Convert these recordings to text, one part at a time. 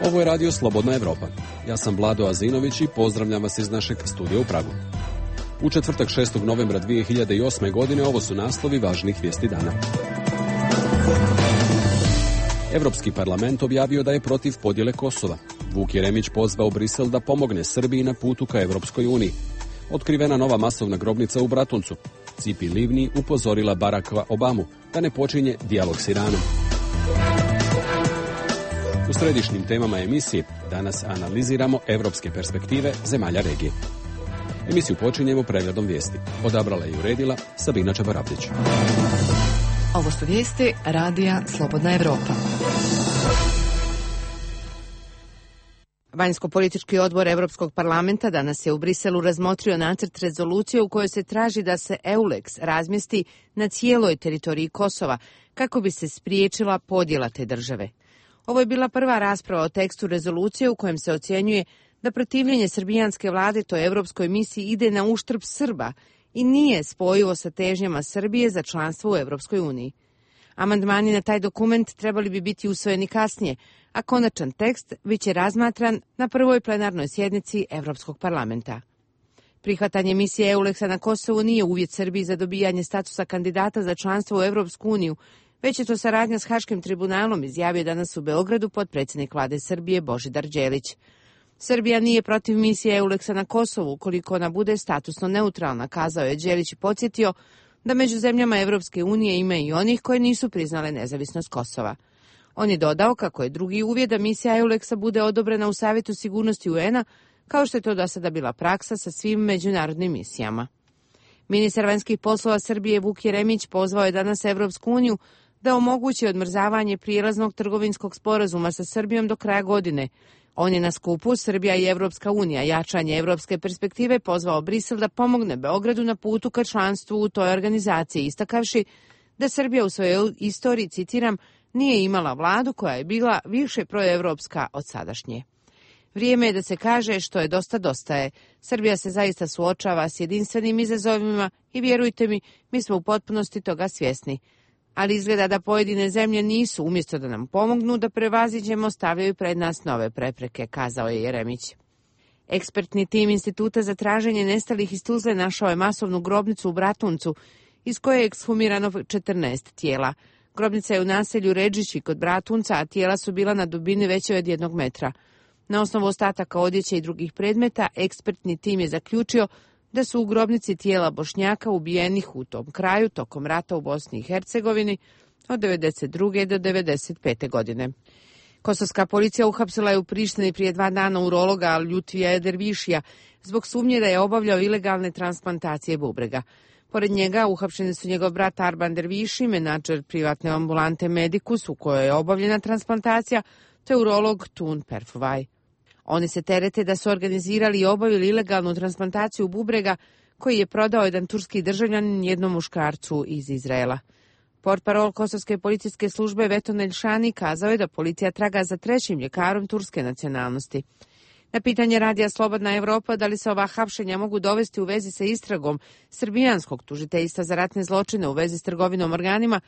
Ovo je radio Slobodna Evropa. Ja sam Vlado Azinović i pozdravljam vas iz našeg studija u Pragu. U četvrtak 6. novembra 2008. godine ovo su naslovi važnih vijesti dana. Evropski parlament objavio da je protiv podjele Kosova. Vuk Jeremić pozvao Brisel da pomogne Srbiji na putu ka Evropskoj uniji. Otkrivena nova masovna grobnica u Bratuncu. Cipi Livni upozorila Baracka Obamu da ne počinje dijalog s Iranom. U središnjim temama emisije danas analiziramo evropske perspektive zemalja regije. Emisiju počinjemo pregledom vijesti. Odabrala i uredila Sabina Čabarabdić. Ovo su vijesti radija Slobodna Evropa. Vanjsko-politički odbor Evropskog parlamenta danas je u Briselu razmotrio nacrt rezolucije u kojoj se traži da se EULEX razmjesti na cijeloj teritoriji Kosova kako bi se spriječila podjela te države. Ovo je bila prva rasprava o tekstu rezolucije u kojem se ocjenjuje da protivljenje srbijanske vlade toj evropskoj misiji ide na uštrb Srba i nije spojivo sa težnjama Srbije za članstvo u Evropskoj uniji. Amandmani na taj dokument trebali bi biti usvojeni kasnije, a konačan tekst biće razmatran na prvoj plenarnoj sjednici Evropskog parlamenta. Prihvatanje misije EULEX-a na Kosovu nije uvjet Srbiji za dobijanje statusa kandidata za članstvo u Evropsku uniju, već je to saradnja s Haškim tribunalom, izjavio danas u Beogradu potpredsjednik vlade Srbije Božidar Đelić. Srbija nije protiv misije EULEX-a na Kosovu ukoliko ona bude statusno neutralna, kazao je Đelić i podsjetio da među zemljama Evropske unije ima i onih koje nisu priznale nezavisnost Kosova. On je dodao kako je drugi uvjet da misija EULEX-a bude odobrena u Savjetu sigurnosti UN-a, kao što je to do sada bila praksa sa svim međunarodnim misijama. Ministar vanjskih poslova Srbije Vuk Jeremić pozvao je danas Evropsku uniju da omogući odmrzavanje prijelaznog trgovinskog sporazuma sa Srbijom do kraja godine. On je na skupu Srbija i Evropska unija, jačanje evropske perspektive, pozvao Brisel da pomogne Beogradu na putu ka članstvu u toj organizaciji, istakavši da Srbija u svojoj istoriji, citiram, nije imala vladu koja je bila više proevropska od sadašnje. Vrijeme je da se kaže što je dosta je. Srbija se zaista suočava s jedinstvenim izazovima i vjerujte mi, mi smo u potpunosti toga svjesni. Ali izgleda da pojedine zemlje nisu, umjesto da nam pomognu da prevaziđemo, stavljaju pred nas nove prepreke, kazao je Jeremić. Ekspertni tim Instituta za traženje nestalih iz Tuzle našao je masovnu grobnicu u Bratuncu, iz koje je ekshumirano 14 tijela. Grobnica je u naselju Redžići kod Bratunca, a tijela su bila na dubini veće od 1 metra. Na osnovu ostataka odjeće i drugih predmeta, ekspertni tim je zaključio da su u grobnici tijela Bošnjaka ubijenih u tom kraju tokom rata u Bosni i Hercegovini od 1992. do 1995. godine. Kosovska policija uhapsila je u Prištini prije 2 dana urologa Ljutvija Edervišija zbog sumnje da je obavljao ilegalne transplantacije bubrega. Pored njega uhapšeni su njegov brat Arban Derviši, menadžer privatne ambulante Medicus u kojoj je obavljena transplantacija, te urolog Tun Perfuvaj. Oni se terete da su organizirali i obavili ilegalnu transplantaciju bubrega koji je prodao jedan turski državljanin jednom muškarcu iz Izraela. Portparol kosovske policijske službe Veton Elšani kazao je da policija traga za 3. ljekarom turske nacionalnosti. Na pitanje radija Slobodna Evropa da li se ova hapšenja mogu dovesti u vezi sa istragom srbijanskog tužiteljstva za ratne zločine u vezi s trgovinom organima,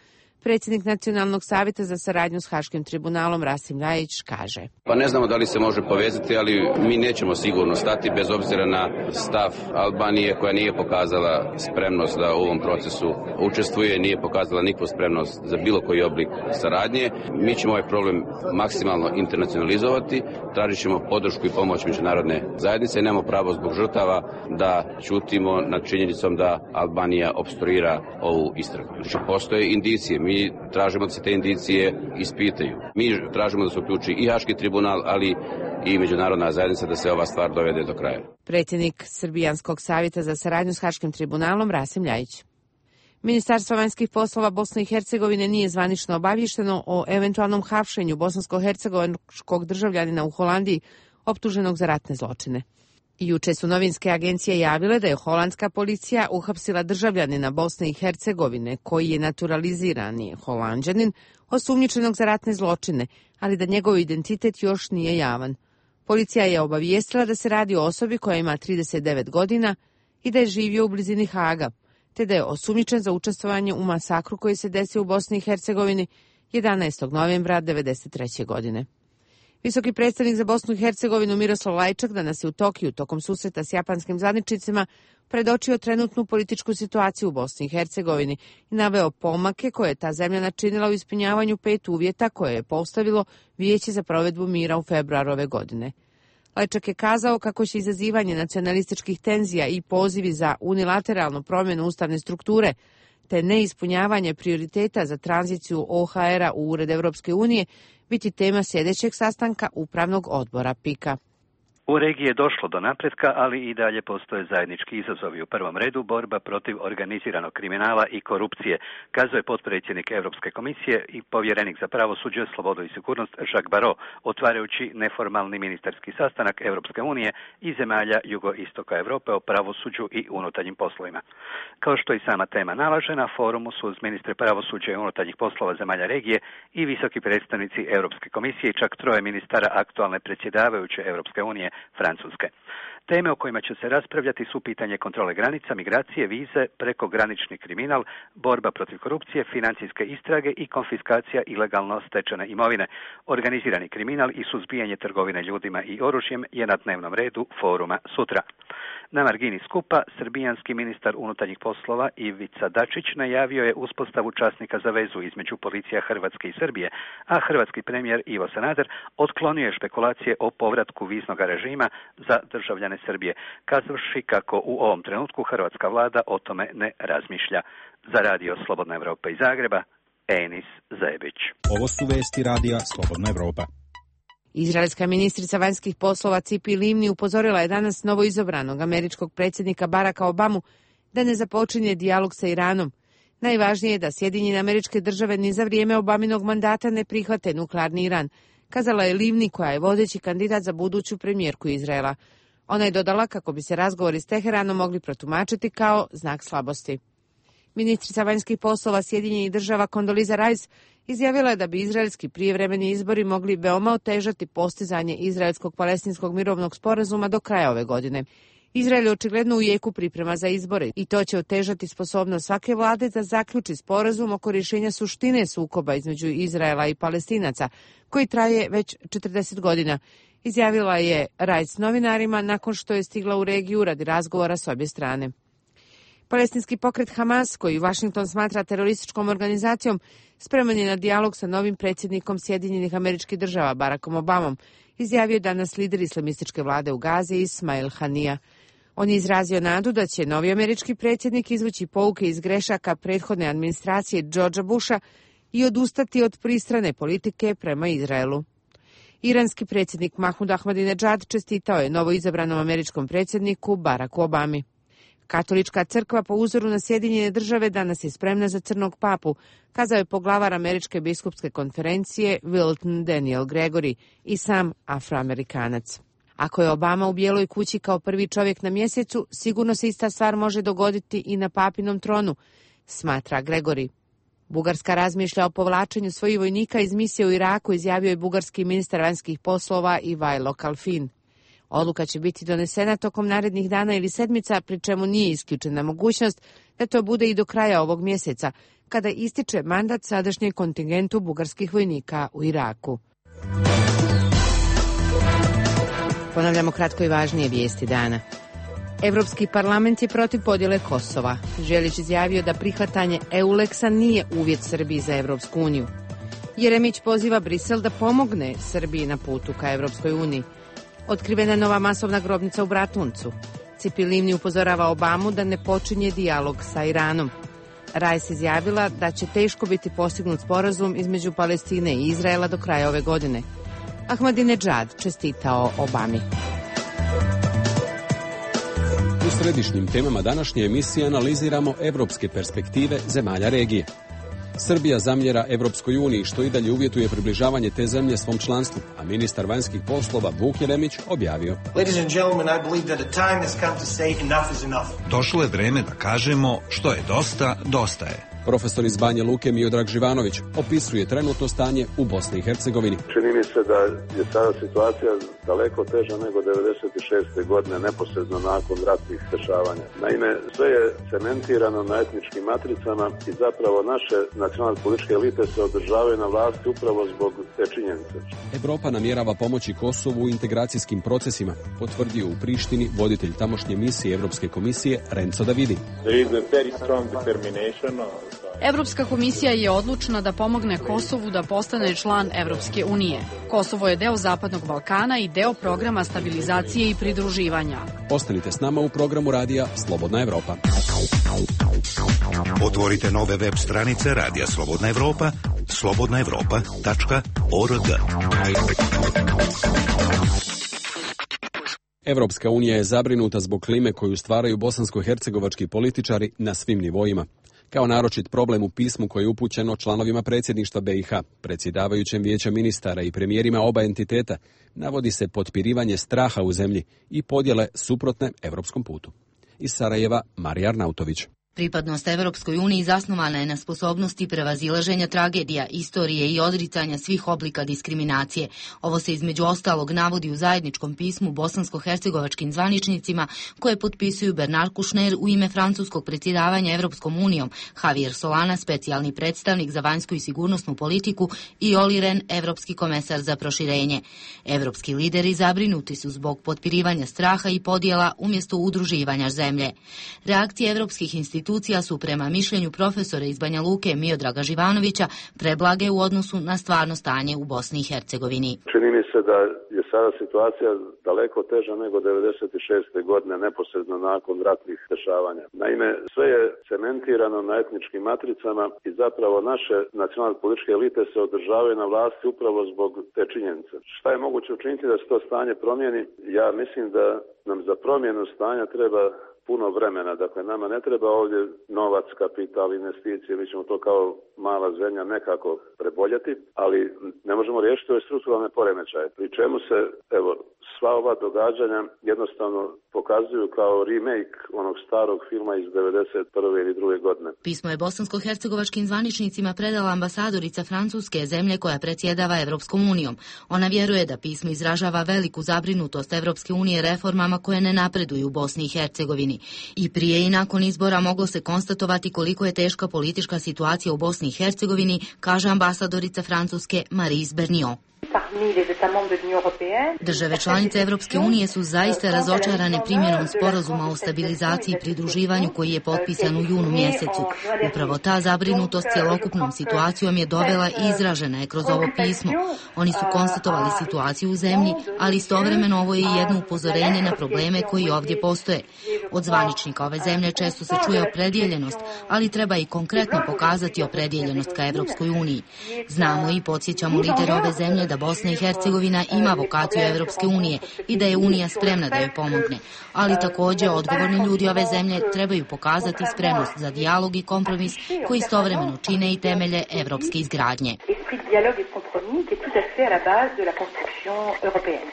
predsjednik Nacionalnog savjeta za saradnju s Haškim tribunalom Rasim Ljajić kaže: Pa ne znamo da li se može povezati, ali mi nećemo sigurno stati bez obzira na stav Albanije koja nije pokazala spremnost da u ovom procesu učestvuje, nije pokazala nikakvu spremnost za bilo koji oblik saradnje. Mi ćemo ovaj problem maksimalno internacionalizovati, tražit ćemo podršku i pomoć međunarodne zajednice. Nemamo pravo zbog žrtava da ćutimo nad činjenicom da Albanija opstruira ovu istragu. Znači, postoje indicije. Mi tražimo da se te indicije ispitaju. Mi tražimo da se uključi i Haški tribunal, ali i međunarodna zajednica da se ova stvar dovede do kraja. Predsjednik Srbijanskog savjeta za saradnju s Haškim tribunalom Rasim Ljajić. Ministarstvo vanjskih poslova Bosne i Hercegovine nije zvanično obavješteno o eventualnom hapšenju bosansko-hercegovačkog državljanina u Holandiji optuženog za ratne zločine. Juče su novinske agencije javile da je holandska policija uhapsila državljanina Bosne i Hercegovine koji je naturalizirani Holanđanin, osumnjičenog za ratne zločine, ali da njegov identitet još nije javan. Policija je obavijestila da se radi o osobi koja ima 39 godina i da je živio u blizini Haga, te da je osumnjičen za učestvovanje u masakru koji se desio u Bosni i Hercegovini 11. novembra 1993. godine. Visoki predstavnik za Bosnu i Hercegovinu Miroslav Lajčak danas je u Tokiju tokom susreta s japanskim zvaničnicima predočio trenutnu političku situaciju u Bosni i Hercegovini i naveo pomake koje je ta zemlja načinila u ispunjavanju 5 uvjeta koje je postavilo Vijeće za provedbu mira u februaru ove godine. Lajčak je kazao kako će izazivanje nacionalističkih tenzija i pozivi za unilateralnu promjenu ustavne strukture te neispunjavanje prioriteta za tranziciju OHR-a u Ured Evropske unije biti tema sljedećeg sastanka Upravnog odbora PIK-a. U regiji je došlo do napretka, ali i dalje postoje zajednički izazovi. U prvom redu borba protiv organiziranog kriminala i korupcije, kazuje potpredsjednik Europske komisije i povjerenik za pravosuđe, slobodu i sigurnost Jacques Barrot, otvarajući neformalni ministarski sastanak Europske unije i zemalja jugoistoka Europe o pravosuđu i unutarnjim poslovima. Kao što i sama tema nalaže, na forumu su uz ministre pravosuđa i unutarnjih poslova zemalja regije i visoki predstavnici Europske komisije i čak 3 ministara aktualne predsjedavajuće Europske unije Francuske. Teme o kojima će se raspravljati su pitanje kontrole granica, migracije, vize, prekogranični kriminal, borba protiv korupcije, financijske istrage i konfiskacija ilegalno stečene imovine. Organizirani kriminal i suzbijanje trgovine ljudima i oružjem je na dnevnom redu foruma sutra. Na margini skupa, srbijanski ministar unutarnjih poslova Ivica Dačić najavio je uspostavu časnika za vezu između policija Hrvatske i Srbije, a hrvatski premijer Ivo Sanader otklonio je špekulacije o povratku viznog režima za državljane Srbije, kazavši kako u ovom trenutku hrvatska vlada o tome ne razmišlja. Za radio Slobodna Evropa iz Zagreba, Enis Zebić. Ovo su vesti radija Slobodna Evropa. Izraelska ministrica vanjskih poslova Cipi Livni upozorila je danas novoizabranog američkog predsjednika Baracka Obamu da ne započinje dijalog sa Iranom. Najvažnije je da Sjedinjene Američke Države ni za vrijeme Obaminog mandata ne prihvate nuklearni Iran, kazala je Livni koja je vodeći kandidat za buduću premijerku Izraela. Ona je dodala kako bi se razgovori s Teheranom mogli protumačiti kao znak slabosti. Ministrica vanjskih poslova Sjedinjenih Država Condoleezza Rice izjavila je da bi izraelski prijevremeni izbori mogli veoma otežati postizanje izraelskog-palestinskog mirovnog sporazuma do kraja ove godine. Izrael je očigledno u jeku priprema za izbore i to će otežati sposobnost svake vlade da zaključi sporazum oko rješenja suštine sukoba između Izraela i Palestinaca, koji traje već 40 godina, izjavila je Rice novinarima nakon što je stigla u regiju radi razgovora s obje strane. Palestinski pokret Hamas, koji Washington smatra terorističkom organizacijom, spreman je na dijalog sa novim predsjednikom Sjedinjenih Američkih Država Barackom Obamom, izjavio je danas lider islamističke vlade u Gazi Ismail Hanija. On je izrazio nadu da će novi američki predsjednik izvući pouke iz grešaka prethodne administracije Georgea Busha i odustati od pristrane politike prema Izraelu. Iranski predsjednik Mahmud Ahmadinejad čestitao je novoizabranom američkom predsjedniku Baracku Obami. Katolička crkva po uzoru na Sjedinjene Države danas je spremna za crnog papu, kazao je poglavar Američke biskupske konferencije Wilton Daniel Gregory i sam Afroamerikanac. Ako je Obama u Bijeloj kući kao prvi čovjek na mjesecu, sigurno se ista stvar može dogoditi i na papinom tronu, smatra Gregory. Bugarska razmišlja o povlačenju svojih vojnika iz misije u Iraku, izjavio je bugarski ministar vanjskih poslova Ivajlo Kalfin. Odluka će biti donesena tokom narednih dana ili sedmica, pri čemu nije isključena mogućnost da to bude i do kraja ovog mjeseca, kada ističe mandat sadašnjem kontingentu bugarskih vojnika u Iraku. Ponavljamo kratko i važnije vijesti dana. Evropski parlament je protiv podjele Kosova. Želić izjavio da prihvatanje EULEX-a nije uvjet Srbiji za Evropsku uniju. Jeremić poziva Brisel da pomogne Srbiji na putu ka Evropskoj uniji. Otkrivena je nova masovna grobnica u Bratuncu. Cipi Livni upozorava Obamu da ne počinje dijalog sa Iranom. Rice izjavila da će teško biti postignut sporazum između Palestine i Izraela do kraja ove godine. Ahmadinejad čestitao Obami. U središnjim temama današnje emisije analiziramo evropske perspektive zemalja regije. Srbija zamjera Evropskoj uniji, što i dalje uvjetuje približavanje te zemlje svom članstvu, a ministar vanjskih poslova Vuk Jeremić objavio: Došlo je vreme da kažemo što je dosta, dosta je. Profesor iz Banja Luke Miodrag Živanović opisuje trenutno stanje u Bosni i Hercegovini. Čini mi se da je sada situacija daleko teža nego 96. godine, neposredno nakon ratnih dešavanja. Naime, sve je cementirano na etničkim matricama i zapravo naše nacionalne političke elite se održavaju na vlasti upravo zbog te činjenice. Evropa namjerava pomoći Kosovu u integracijskim procesima, potvrdio u Prištini voditelj tamošnje misije Evropske komisije Renzo Davidi. Evropska komisija je odlučna da pomogne Kosovu da postane član Evropske unije. Kosovo je deo Zapadnog Balkana i deo programa stabilizacije i pridruživanja. Ostanite s nama u programu radija Slobodna Evropa. Otvorite nove web stranice Radija Slobodna Evropa, slobodnaevropa.org. Evropska unija je zabrinuta zbog klime koju stvaraju bosansko-hercegovački političari na svim nivoima. Kao naročit problem u pismu koje je upućeno članovima predsjedništva BiH, predsjedavajućem vijeća ministara i premijerima oba entiteta, navodi se potpirivanje straha u zemlji i podjele suprotne evropskom putu. Iz Sarajeva, Marija Arnautović. Pripadnost Evropskoj uniji zasnovana je na sposobnosti prevazilaženja tragedija, istorije i odricanja svih oblika diskriminacije. Ovo se između ostalog navodi u zajedničkom pismu bosansko-hercegovačkim zvaničnicima koje potpisuju Bernard Kouchner u ime francuskog predsjedavanja Evropskom unijom, Javier Solana, specijalni predstavnik za vanjsku i sigurnosnu politiku, i Olli Rehn, evropski komesar za proširenje. Evropski lideri zabrinuti su zbog potpirivanja straha i podjela umjesto udruživanja zemlje. Reakcije evropskih institucija su prema mišljenju profesora iz Banja Luke Miodraga Živanovića preblage u odnosu na stvarno stanje u Bosni i Hercegovini. Čini mi se da je sada situacija daleko teža nego 96. godine, neposredno nakon ratnih dešavanja. Naime, sve je cementirano na etničkim matricama i zapravo naše nacionalne političke elite se održavaju na vlasti upravo zbog te činjenice. Šta je moguće učiniti da se to stanje promijeni? Ja mislim da nam za promjenu stanja treba puno vremena. Dakle, nama ne treba ovdje novac, kapital, investicije, mi ćemo to kao mala zemlja nekako preboljeti, ali ne možemo riješiti ove strukturalne poremećaje. Pri čemu se, evo, sva ova događanja jednostavno pokazuju kao remake onog starog filma iz 91. ili 2. godine. Pismo je bosansko-hercegovačkim zvaničnicima predala ambasadorica Francuske, zemlje koja predsjedava Evropskom unijom. Ona vjeruje da pismo izražava veliku zabrinutost Evropske unije reformama koje ne napreduju u Bosni i Hercegovini. I prije i nakon izbora moglo se konstatovati koliko je teška politička situacija u Bosni i Hercegovini, kaže ambasadorica Francuske Maryse Berniot. Države članice Evropske unije su zaista razočarane primjenom sporazuma o stabilizaciji i pridruživanju koji je potpisan u junu mjesecu. Upravo ta zabrinutost cjelokupnom situacijom je dovela i izražena je kroz ovo pismo. Oni su konstatovali situaciju u zemlji, ali istovremeno ovo je jedno upozorenje na probleme koji ovdje postoje. Od zvaničnika ove zemlje često se čuje opredjeljenost, ali treba i konkretno pokazati opredjeljenost ka Evropskoj uniji. Znamo i podsjećamo lidere ove zemlje da Bosna i Hercegovina ima vokaciju Evropske unije i da je Unija spremna da joj pomogne. Ali također odgovorni ljudi ove zemlje trebaju pokazati spremnost za dijalog i kompromis koji istovremeno čine i temelje evropske izgradnje.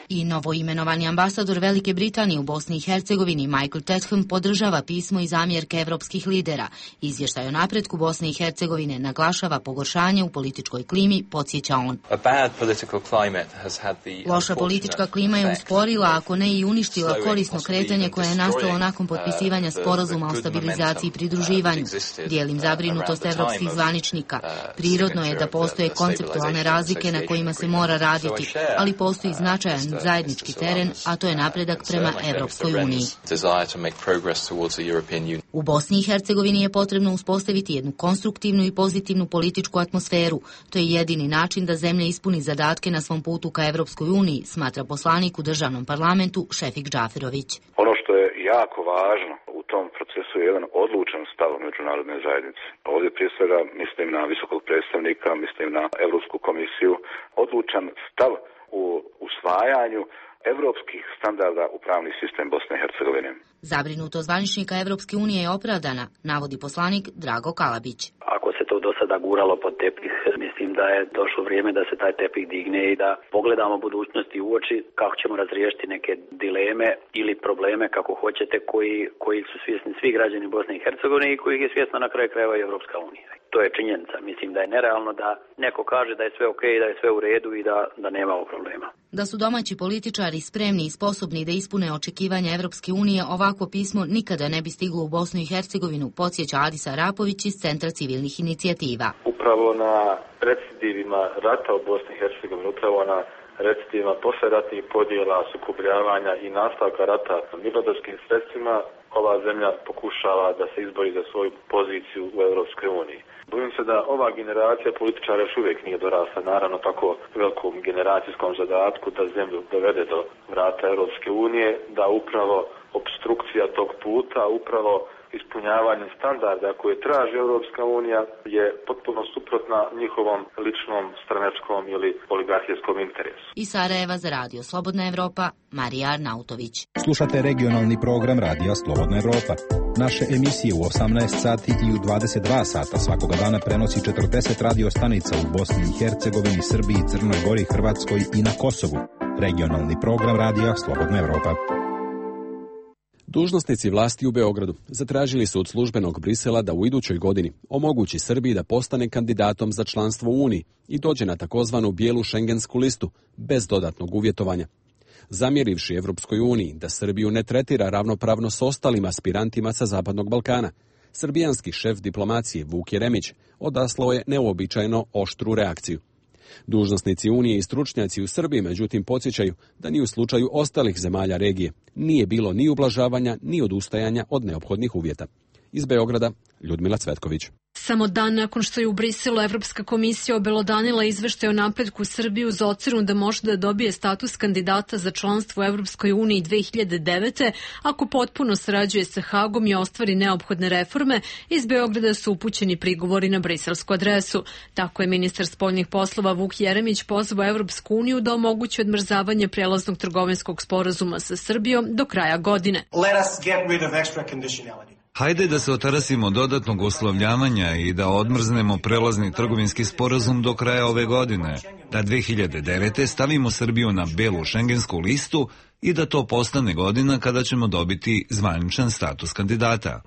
I novoimenovani ambasador Velike Britanije u Bosni i Hercegovini Michael Tetham podržava pismo i zamjerke evropskih lidera. Izvještaj o napretku Bosne i Hercegovine naglašava pogoršanje u političkoj klimi, podsjeća on. Loša politička klima je usporila, ako ne i uništila korisno kretanje koje je nastalo nakon potpisivanja sporazuma o stabilizaciji i pridruživanju. Dijelim zabrinutost evropskih zvaničnika. Prirodno je da postoje konceptualne razlike na kojima se mora raditi, ali postoji značajan zajednički teren, a to je napredak prema Evropskoj uniji. U Bosni i Hercegovini je potrebno uspostaviti jednu konstruktivnu i pozitivnu političku atmosferu. To je jedini način da zemlja ispuni zadatke na svom putu ka Evropskoj uniji, smatra poslanik u državnom parlamentu Šefik Džaferović. Ono što je jako važno u tom procesu je jedan odlučan stav međunarodne zajednice. Ovdje prije svega mislim na visokog predstavnika, mislim na Europsku komisiju, odlučan stav u usvajanju evropskih standarda u pravni sistem Bosne i Hercegovine. Zabrinutost zvaničnika Evropske unije je opravdana, navodi poslanik Drago Kalabić. Ako se to do sada guralo pod tepih, mislim da je došlo vrijeme da se taj tepih digne i da pogledamo budućnosti u oči kako ćemo razriješiti neke dileme ili probleme, kako hoćete, koji su svjesni svi građani Bosne i Hercegovine i kojih je svjesna na kraju krajeva i Evropska unija. To je činjenica. Mislim da je nerealno da neko kaže da je sve okej, da je sve u redu i da nemamo problema. Da su domaći političari spremni i sposobni da ispune očekivanja Evropske unije, ovakvo pismo nikada ne bi stiglo u Bosnu i Hercegovinu, podsjeća Adis Arapović iz Centra civilnih inicijativa. Upravo na recidivima rata u Bosni i Hercegovini, upravo na recidivima posleratnih podjela, sukobljavanja i nastavka rata mirnodopskim sredstvima, ova zemlja pokušava da se izbori za svoju poziciju u Evropskoj uniji. Bojim se da ova generacija političara još uvijek nije dorasla, naravno tako velikom generacijskom zadatku da zemlju dovede do vrata Evropske unije, da upravo opstrukcija tog puta, upravo ispunjavanje standarda koje traži Evropska unija je potpuno suprotna njihovom ličnom, stranačkom ili oligarhijskom interesu. Iz Sarajeva za Radio Slobodna Evropa, Marija Arnautović. Slušate regionalni program Radija Slobodna Evropa. Naše emisije u 18 sati i u 22 sata svakoga dana prenosi 40 radio stanica u Bosni i Hercegovini, Srbiji, Crnoj Gori, Hrvatskoj i na Kosovu. Regionalni program Radija Slobodna Evropa. Dužnosnici vlasti u Beogradu zatražili su od službenog Brisela da u idućoj godini omogući Srbiji da postane kandidatom za članstvo u Uniji i dođe na takozvanu bijelu šengensku listu bez dodatnog uvjetovanja. Zamjerivši Evropskoj uniji da Srbiju ne tretira ravnopravno s ostalim aspirantima sa Zapadnog Balkana, srbijanski šef diplomacije Vuk Jeremić odaslao je neuobičajeno oštru reakciju. Dužnosnici Unije i stručnjaci u Srbiji međutim podsjećaju da ni u slučaju ostalih zemalja regije nije bilo ni ublažavanja ni odustajanja od neophodnih uvjeta. Iz Beograda, Ljudmila Cvetković. Samo dan nakon što je u Briselu Evropska komisija obelodanila izveštaj o napretku Srbije uz ocenu da može da dobije status kandidata za članstvo u Evropskoj uniji 2009. ako potpuno sarađuje sa Hagom i ostvari neophodne reforme, iz Beograda su upućeni prigovori na briselsku adresu. Tako je ministar spoljnih poslova Vuk Jeremić pozvao Evropsku uniju da omogući odmrzavanje prelaznog trgovinskog sporazuma sa Srbijom do kraja godine. Let us get rid of extra conditionality. Hajde da se otarasimo dodatnog uslovljavanja i da odmrznemo prelazni trgovinski sporazum do kraja ove godine, da 2009. stavimo Srbiju na belu šengensku listu i da to postane godina kada ćemo dobiti zvaničan status kandidata.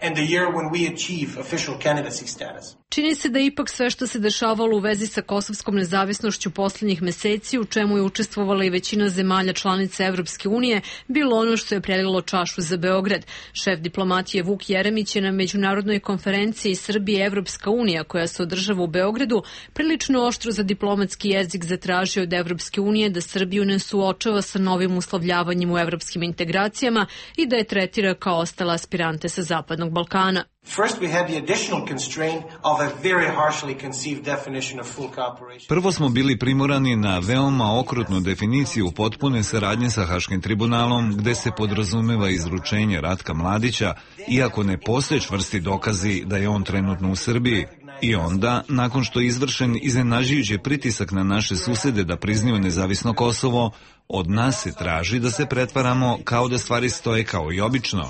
Čini se da ipak sve što se dešavalo u vezi sa kosovskom nezavisnošću poslednjih meseci, u čemu je učestvovala i većina zemalja članica Evropske unije, bilo ono što je prelilo čašu za Beograd. Šef diplomatije Vuk Jeremić je na međunarodnoj konferenciji Srbije Evropska unija, koja se održava u Beogradu, prilično oštro za diplomatski jezik zatražio od Evropske unije da Srbiju ne suočava sa novim uslovljavanjem u evropskim integracijama i da je tretira kao ostale aspirante sa Zapadnog Balkana. Prvo smo bili primorani na veoma okrutnu definiciju potpune saradnje sa Haškim tribunalom, gde se podrazumeva izručenje Ratka Mladića, iako ne postoje čvrsti dokazi da je on trenutno u Srbiji. I onda, nakon što je izvršen iznenađujući pritisak na naše susede da priznaju nezavisno Kosovo, od nas se traži da se pretvaramo kao da stvari stoje kao i obično.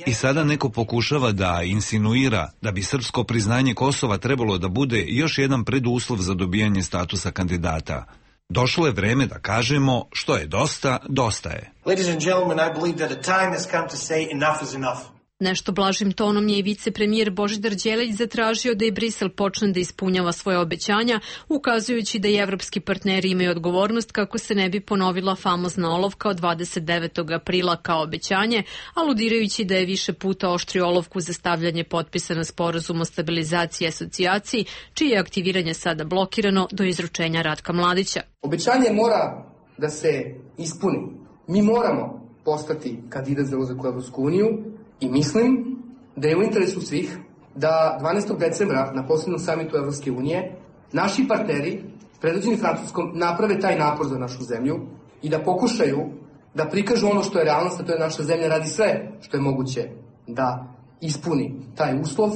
I sada neko pokušava da insinuira da bi srpsko priznanje Kosova trebalo da bude još jedan preduslov za dobijanje statusa kandidata. Došlo je vreme da kažemo što je dosta, dosta je. Ladies and gentlemen, I believe that a time has come to say enough is enough. Nešto blažim tonom je i vicepremijer Božidar Đelić zatražio da i Brisel počne da ispunjava svoje obećanja, ukazujući da i evropski partneri imaju odgovornost kako se ne bi ponovila famozna olovka od 29. aprila kao obećanje, aludirajući da je više puta oštrio olovku za stavljanje potpisa na sporazum o stabilizaciji i asocijaciji, čije je aktiviranje sada blokirano do izručenja Ratka Mladića. Obećanje mora da se ispuni. Mi moramo postati kandidat za ulazak u Evropsku uniju, i mislim da je u interesu svih da 12. decembra na posljednom samitu Evropske unije naši partneri, predvođeni Francuskom, naprave taj napor za našu zemlju i da pokušaju da prikažu ono što je realnost, a to je naša zemlja radi sve što je moguće da ispuni taj uslov,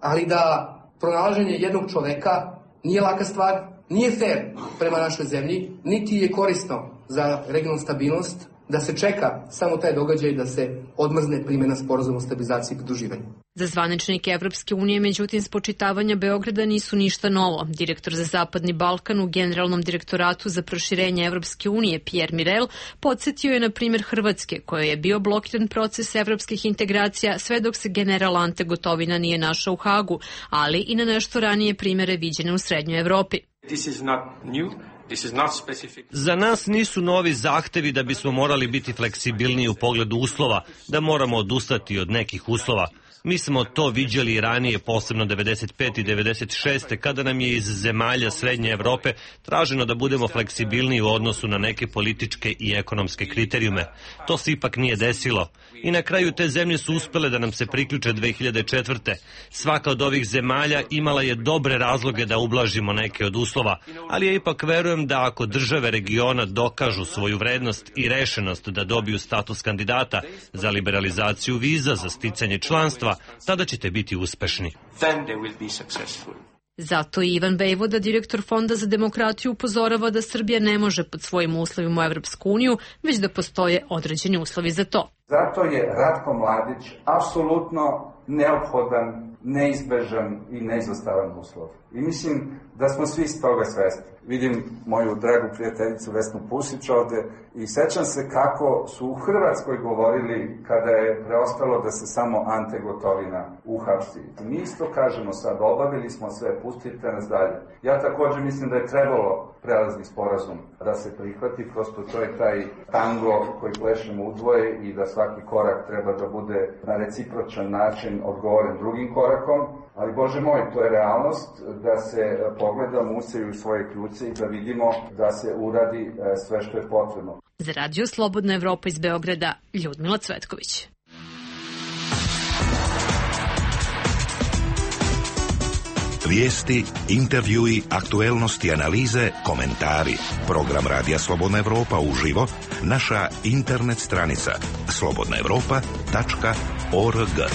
ali da pronalaženje jednog čoveka nije laka stvar, nije fair prema našoj zemlji, niti je korisno za regionalnu stabilnost, da se čeka samo taj događaj da se odmrzne primjena sporazuma o stabilizaciji i pridruživanju. Za zvaničnike Evropske unije, međutim, spočitavanja Beograda nisu ništa novo. Direktor za Zapadni Balkan u Generalnom direktoratu za proširenje Evropske unije, Pierre Mirel, podsjetio je na primjer Hrvatske, kojoj je bio blokiran proces evropskih integracija sve dok se general Ante Gotovina nije našao u Hagu, ali i na nešto ranije primjere viđene u Srednjoj Evropi. Za nas nisu novi zahtevi da bismo morali biti fleksibilniji u pogledu uslova, da moramo odustati od nekih uslova. Mi smo to viđali i ranije, posebno 95. i 96. kada nam je iz zemalja Srednje Evrope traženo da budemo fleksibilniji u odnosu na neke političke i ekonomske kriterijume. To se ipak nije desilo. I na kraju te zemlje su uspele da nam se priključe 2004. Svaka od ovih zemalja imala je dobre razloge da ublažimo neke od uslova, ali ja ipak verujem da ako države regiona dokažu svoju vrednost i rešenost da dobiju status kandidata za liberalizaciju viza za sticanje članstva, tada ćete biti uspešni. Zato i Ivan Bejvoda, direktor Fonda za demokratiju, upozorava da Srbija ne može pod svojim uslovima u Evropsku uniju, već da postoje određeni uslovi za to. Zato je Ratko Mladić apsolutno neophodan, neizbežan i neizostavan uslov. I mislim da smo svi s toga svesni. Vidim moju dragu prijateljicu Vesnu Pusić ovde i sećam se kako su u Hrvatskoj govorili kada je preostalo da se samo Ante Gotovina uhapsi. Mi isto kažemo sad, obavili smo sve, pustite nas dalje. Ja također mislim da je trebalo prelazni sporazum da se prihvati, prosto to je taj tango koji plešemo udvoje i da svaki korak treba da bude na recipročan način odgovoren drugim korakom. Ali, Bože moj, to je realnost da se pogledamo, useju svoje kljuce i da vidimo da se uradi sve što je potrebno. Za Radio Slobodna Evropa iz Beograda, Ljudmila Cvetković. Vijesti, intervjui, aktuelnosti, analize, komentari. Program Radija Slobodna Evropa uživo, naša internet stranica slobodnaevropa.org.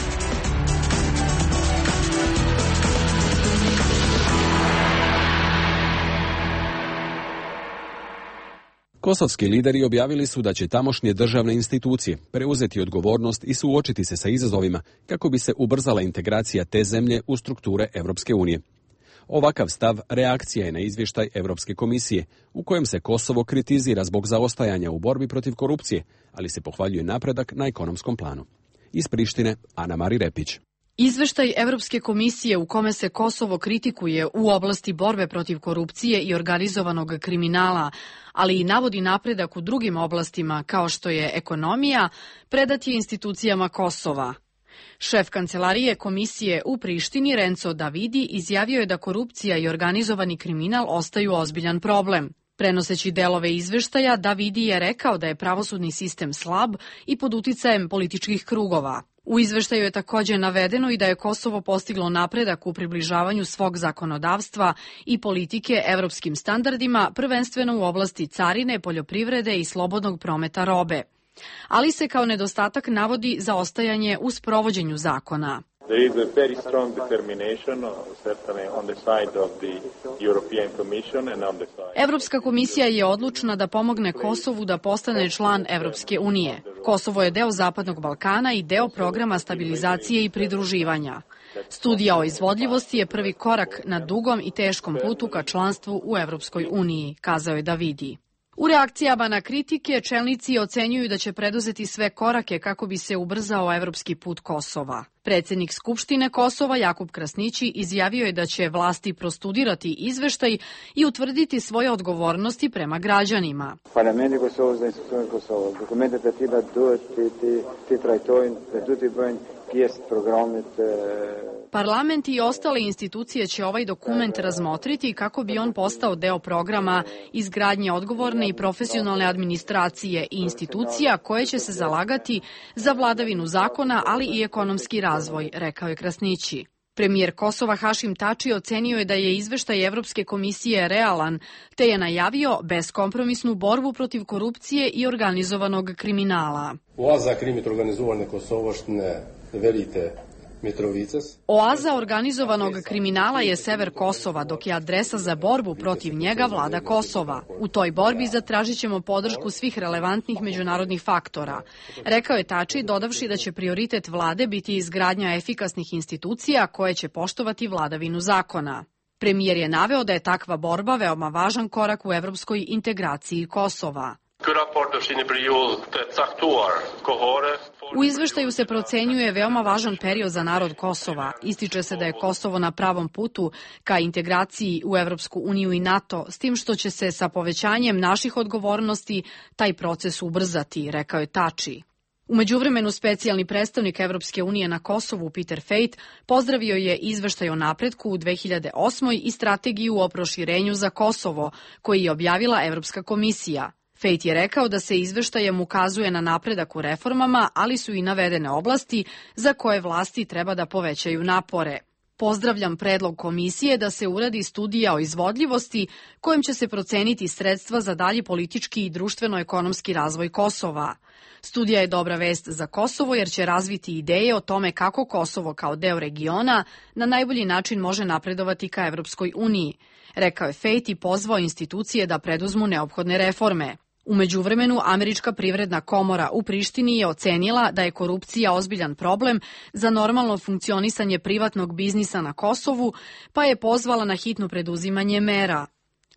Kosovski lideri objavili su da će tamošnje državne institucije preuzeti odgovornost i suočiti se sa izazovima kako bi se ubrzala integracija te zemlje u strukture Evropske unije. Ovakav stav reakcija je na izvještaj Evropske komisije u kojem se Kosovo kritizira zbog zaostajanja u borbi protiv korupcije, ali se pohvaljuje napredak na ekonomskom planu. Iz Prištine, Ana Mari Repić. Izveštaj Evropske komisije u kome se Kosovo kritikuje u oblasti borbe protiv korupcije i organizovanog kriminala, ali i navodi napredak u drugim oblastima kao što je ekonomija, predat je institucijama Kosova. Šef kancelarije komisije u Prištini, Renzo Davidi, izjavio je da korupcija i organizovani kriminal ostaju ozbiljan problem. Prenoseći delove izveštaja, Davidi je rekao da je pravosudni sistem slab i pod uticajem političkih krugova. U izveštaju je također navedeno i da je Kosovo postiglo napredak u približavanju svog zakonodavstva i politike evropskim standardima, prvenstveno u oblasti carine, poljoprivrede i slobodnog prometa robe. Ali se kao nedostatak navodi zaostajanje u sprovođenju zakona. There is a very strong determination, certainly on the side of the European Commission and on the side. Evropska komisija je odlučna da pomogne Kosovu da postane član Evropske unije. Kosovo je deo Zapadnog Balkana i deo programa stabilizacije i pridruživanja. Studija o izvodljivosti je prvi korak na dugom i teškom putu ka članstvu u Evropskoj uniji, kazao je Davidi. U reakcijama na kritike, čelnici ocenjuju da će preduzeti sve korake kako bi se ubrzao evropski put Kosova. Predsjednik Skupštine Kosova, Jakub Krasnići, izjavio je da će vlasti prostudirati izveštaj i utvrditi svoje odgovornosti prema građanima. Parlament i ostale institucije će ovaj dokument razmotriti kako bi on postao deo programa izgradnje odgovorne i profesionalne administracije i institucija koje će se zalagati za vladavinu zakona, ali i ekonomski razvoj, rekao je Krasnići. Premijer Kosova Hašim Tači ocenio je da je izveštaj Evropske komisije realan, te je najavio beskompromisnu borbu protiv korupcije i organizovanog kriminala. Za krimit organizovane kosovoštine, verite, Oaza organizovanog kriminala je sever Kosova, dok je adresa za borbu protiv njega vlada Kosova. U toj borbi zatražit ćemo podršku svih relevantnih međunarodnih faktora. Rekao je Tači, dodavši da će prioritet vlade biti izgradnja efikasnih institucija koje će poštovati vladavinu zakona. Premijer je naveo da je takva borba veoma važan korak u evropskoj integraciji Kosova. U izveštaju se procenjuje veoma važan period za narod Kosova. Ističe se da je Kosovo na pravom putu ka integraciji u Evropsku uniju i NATO, s tim što će se sa povećanjem naših odgovornosti taj proces ubrzati, rekao je Tači. U međuvremenu specijalni predstavnik Evropske unije na Kosovu Peter Fejt pozdravio je izveštaj o napretku u 2008. i strategiju o proširenju za Kosovo, koji je objavila Evropska komisija. Fejt je rekao da se izveštajem ukazuje na napredak u reformama, ali su i navedene oblasti za koje vlasti treba da povećaju napore. Pozdravljam predlog komisije da se uradi studija o izvodljivosti kojom će se proceniti sredstva za dalji politički i društveno-ekonomski razvoj Kosova. Studija je dobra vest za Kosovo jer će razviti ideje o tome kako Kosovo kao deo regiona na najbolji način može napredovati ka Evropskoj uniji, rekao je Fejt i pozvao institucije da preduzmu neophodne reforme. U međuvremenu, Američka privredna komora u Prištini je ocenila da je korupcija ozbiljan problem za normalno funkcionisanje privatnog biznisa na Kosovu, pa je pozvala na hitno preduzimanje mera.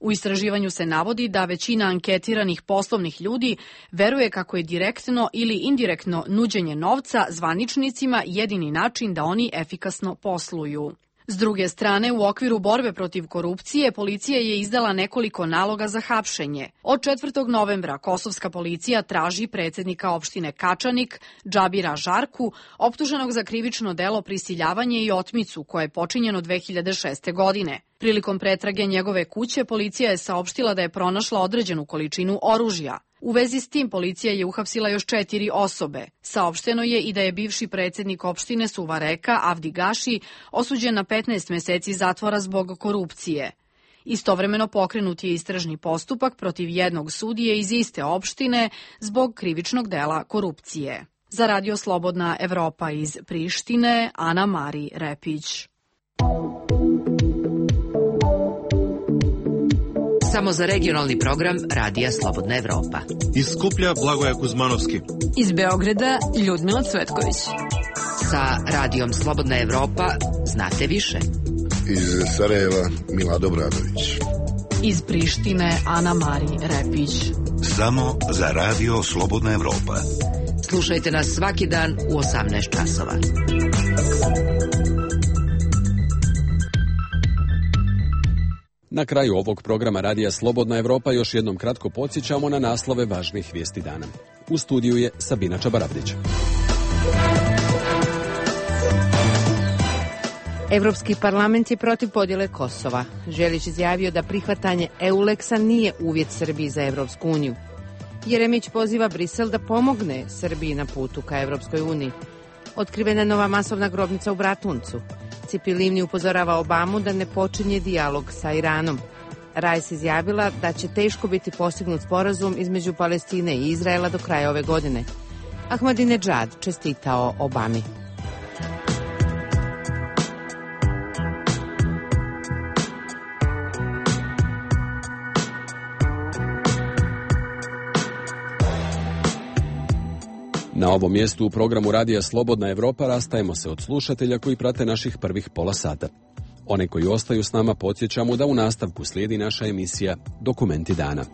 U istraživanju se navodi da većina anketiranih poslovnih ljudi veruje kako je direktno ili indirektno nuđenje novca zvaničnicima jedini način da oni efikasno posluju. S druge strane, u okviru borbe protiv korupcije, policija je izdala nekoliko naloga za hapšenje. Od 4. novembra kosovska policija traži predsjednika opštine Kačanik, Džabira Žarku, optuženog za krivično delo prisiljavanje i otmicu koje je počinjeno 2006. godine. Prilikom pretrage njegove kuće, policija je saopštila da je pronašla određenu količinu oružja. U vezi s tim policija je uhapsila još 4 osobe. Saopšteno je i da je bivši predsjednik opštine Suvareka, Avdi Gaši, osuđen na 15 meseci zatvora zbog korupcije. Istovremeno pokrenut je istražni postupak protiv jednog sudije iz iste opštine zbog krivičnog dela korupcije. Za Radio Slobodna Evropa iz Prištine, Ana Mari Repić. Samo za regionalni program Radija Slobodna Evropa. Iz Skuplja Blagoja Kuzmanovski. Iz Beograda Ljudmila Cvetković. Sa Radijom Slobodna Evropa znate više. Iz Sarajeva Milad Obradović. Iz Prištine Ana Mari Repić. Samo za Radio Slobodna Evropa. Slušajte nas svaki dan u 18 časova. Na kraju ovog programa Radija Slobodna Evropa još jednom kratko podsjećamo na naslove važnih vijesti dana. U studiju je Sabina Čabarabdić. Evropski parlament je protiv podjele Kosova. Želić izjavio da prihvatanje EULEX-a nije uvjet Srbiji za Evropsku uniju. Jeremić poziva Brisel da pomogne Srbiji na putu ka Evropskoj uniji. Otkrivena je nova masovna grobnica u Bratuncu. Cipi Livni upozorava Obamu da ne počinje dijalog sa Iranom. Rajs izjavila da će teško biti postignut sporazum između Palestine i Izraela do kraja ove godine. Ahmadinedžad čestitao Obami. Na ovom mjestu u programu Radija Slobodna Evropa rastajemo se od slušatelja koji prate naših prvih pola sata. One koji ostaju s nama podsjećamo da u nastavku slijedi naša emisija Dokumenti dana.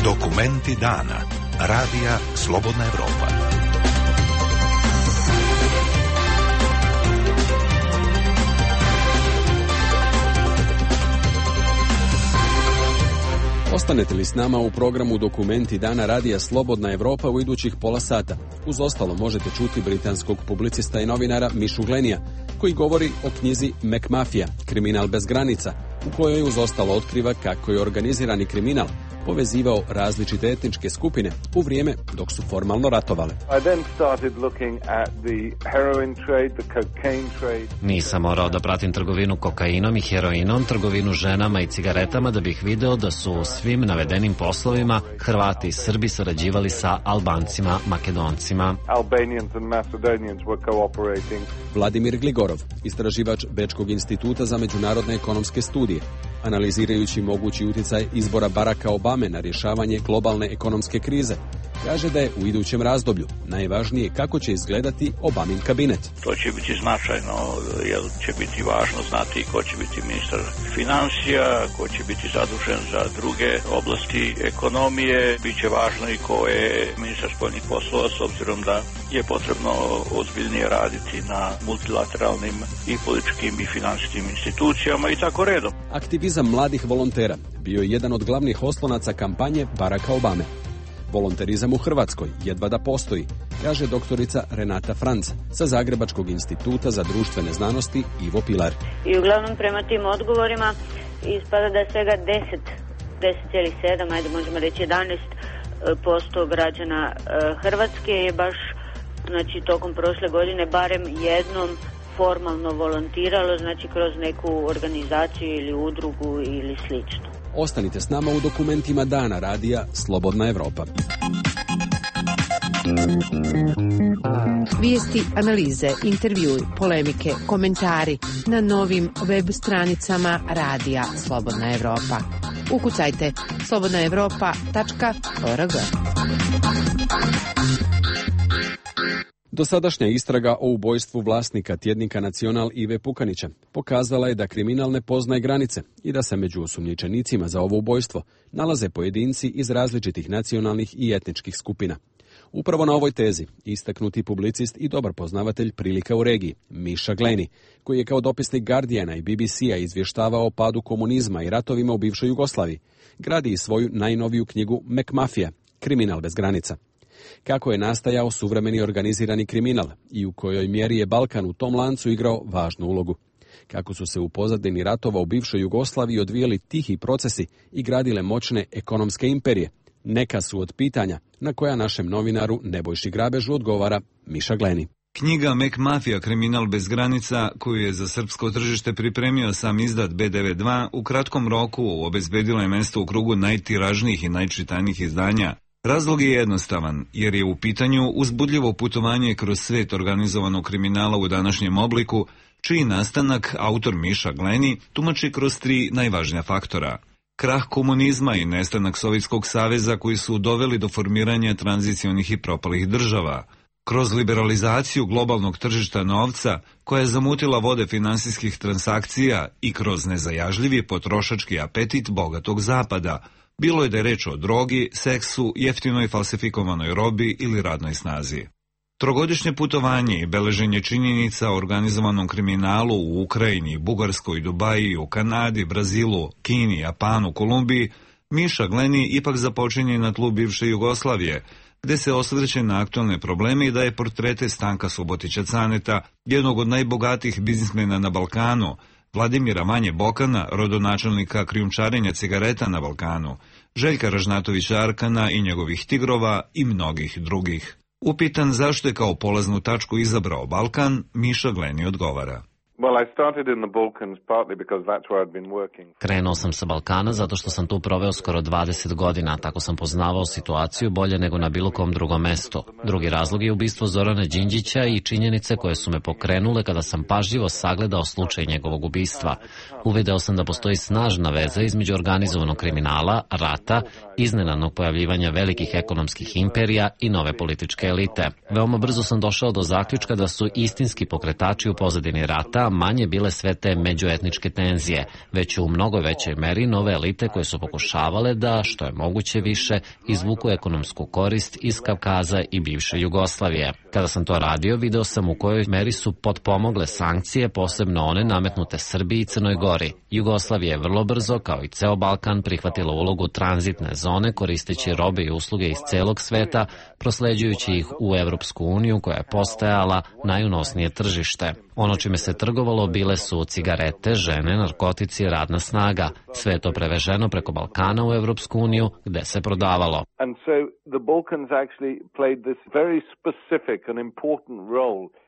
Dokumenti dana. Radija Slobodna Evropa. Ostanete li s nama u programu Dokumenti dana Radija Slobodna Evropa u idućih pola sata? Uz ostalo možete čuti britanskog publicista i novinara Mišu Glenija, koji govori o knjizi McMafia, kriminal bez granica, u kojoj uz ostalo otkriva kako je organizirani kriminal povezivao različite etničke skupine u vrijeme dok su formalno ratovale. Nisam morao da pratim trgovinu kokainom i heroinom, trgovinu ženama i cigaretama da bih video da su u svim navedenim poslovima Hrvati i Srbi sarađivali sa Albancima, Makedoncima. Vladimir Gligorov, istraživač Bečkog instituta za međunarodne ekonomske studije, analizirajući mogući utjecaj izbora Baracka Obame na rješavanje globalne ekonomske krize, kaže da je u idućem razdoblju najvažnije kako će izgledati Obamin kabinet. To će biti značajno, jer će biti važno znati ko će biti ministar financija, ko će biti zadužen za druge oblasti ekonomije, bit će važno i ko je ministar spoljnih poslova, s obzirom da je potrebno ozbiljnije raditi na multilateralnim i političkim i financijskim institucijama i tako redom. Aktivizam mladih volontera bio je jedan od glavnih oslonaca kampanje Baracka Obame. Volonterizam u Hrvatskoj jedva da postoji, kaže doktorica Renata Franc sa Zagrebačkog instituta za društvene znanosti Ivo Pilar. I uglavnom prema tim odgovorima ispada da je svega 10,7, ajde možemo reći 11% građana Hrvatske je baš, znači tokom prošle godine barem jednom formalno volontiralo, znači kroz neku organizaciju ili udrugu ili slično. Ostanite s nama u dokumentima dana radija Slobodna Evropa. Vijesti, analize, intervjui, polemike, komentari na novim web stranicama radija Slobodna Evropa. Ukucajte slobodnaevropa.org. Dosadašnja istraga o ubojstvu vlasnika tjednika Nacional Ive Pukanića pokazala je da kriminal ne poznaje granice i da se među osumnjičenicima za ovo ubojstvo nalaze pojedinci iz različitih nacionalnih i etničkih skupina. Upravo na ovoj tezi istaknuti publicist i dobar poznavatelj prilika u regiji, Miša Gleni, koji je kao dopisnik Guardiana i BBC-a izvještavao o padu komunizma i ratovima u bivšoj Jugoslaviji, gradi i svoju najnoviju knjigu McMafia, kriminal bez granica. Kako je nastajao suvremeni organizirani kriminal i u kojoj mjeri je Balkan u tom lancu igrao važnu ulogu. Kako su se u pozadini ratova u bivšoj Jugoslaviji odvijali tihi procesi i gradile moćne ekonomske imperije. Neka su od pitanja na koja našem novinaru Nebojši Grabežu odgovara Miša Gleni. Knjiga McMafia, kriminal bez granica, koju je za srpsko tržište pripremio sam izdat B92, u kratkom roku obezbedila je mesto u krugu najtiražnijih i najčitanijih izdanja. Razlog je jednostavan, jer je u pitanju uzbudljivo putovanje kroz svet organizovanog kriminala u današnjem obliku, čiji nastanak autor Miša Gleni tumači kroz 3 najvažnija faktora. Krah komunizma i nestanak Sovjetskog saveza koji su doveli do formiranja tranzicionih i propalih država, kroz liberalizaciju globalnog tržišta novca koja je zamutila vode finansijskih transakcija i kroz nezajažljivi potrošački apetit bogatog zapada, bilo je da je reč o drogi, seksu, jeftinoj falsifikovanoj robi ili radnoj snazi. Trogodišnje putovanje i beleženje činjenica o organizovanom kriminalu u Ukrajini, Bugarskoj, Dubaji, u Kanadi, Brazilu, Kini, Japanu, Kolumbiji, Miša Gleni ipak započinje na tlu bivše Jugoslavije, gde se osvrće na aktualne probleme i daje portrete Stanka Subotića Caneta, jednog od najbogatijih biznismena na Balkanu, Vladimira Vanje Bokana, rodonačelnika krijumčarenja cigareta na Balkanu, Željka Ražnatovića Arkana i njegovih tigrova i mnogih drugih. Upitan zašto je kao polaznu tačku izabrao Balkan, Miša Gleni odgovara. Krenuo sam sa Balkana zato što sam tu proveo skoro 20 godina, tako sam poznavao situaciju bolje nego na bilo kom drugom mestu. Drugi razlog je ubistvo Zorana Đinđića i činjenice koje su me pokrenule kada sam pažljivo sagledao slučaj njegovog ubistva. Uvideo sam da postoji snažna veza između organizovanog kriminala, rata, iznenadnog pojavljivanja velikih ekonomskih imperija i nove političke elite. Veoma brzo sam došao do zaključka da su istinski pokretači u pozadini rata sveta manje bile sve te međuetničke tenzije, već u mnogo većoj meri nove elite koje su pokušavale da, što je moguće više, izvuku ekonomsku korist iz Kavkaza i bivše Jugoslavije. Kada sam to radio, video sam u kojoj meri su potpomogle sankcije, posebno one nametnute Srbiji i Crnoj Gori. Jugoslavija je vrlo brzo, kao i ceo Balkan, prihvatila ulogu tranzitne zone koristeći robe i usluge iz celog sveta, prosleđujući ih u Evropsku uniju koja je postajala najunosnije tržište. Ono čime se trgovalo bile su cigarete, žene, narkotici i radna snaga. Sve je to preveženo preko Balkana u Evropsku uniju gde se prodavalo.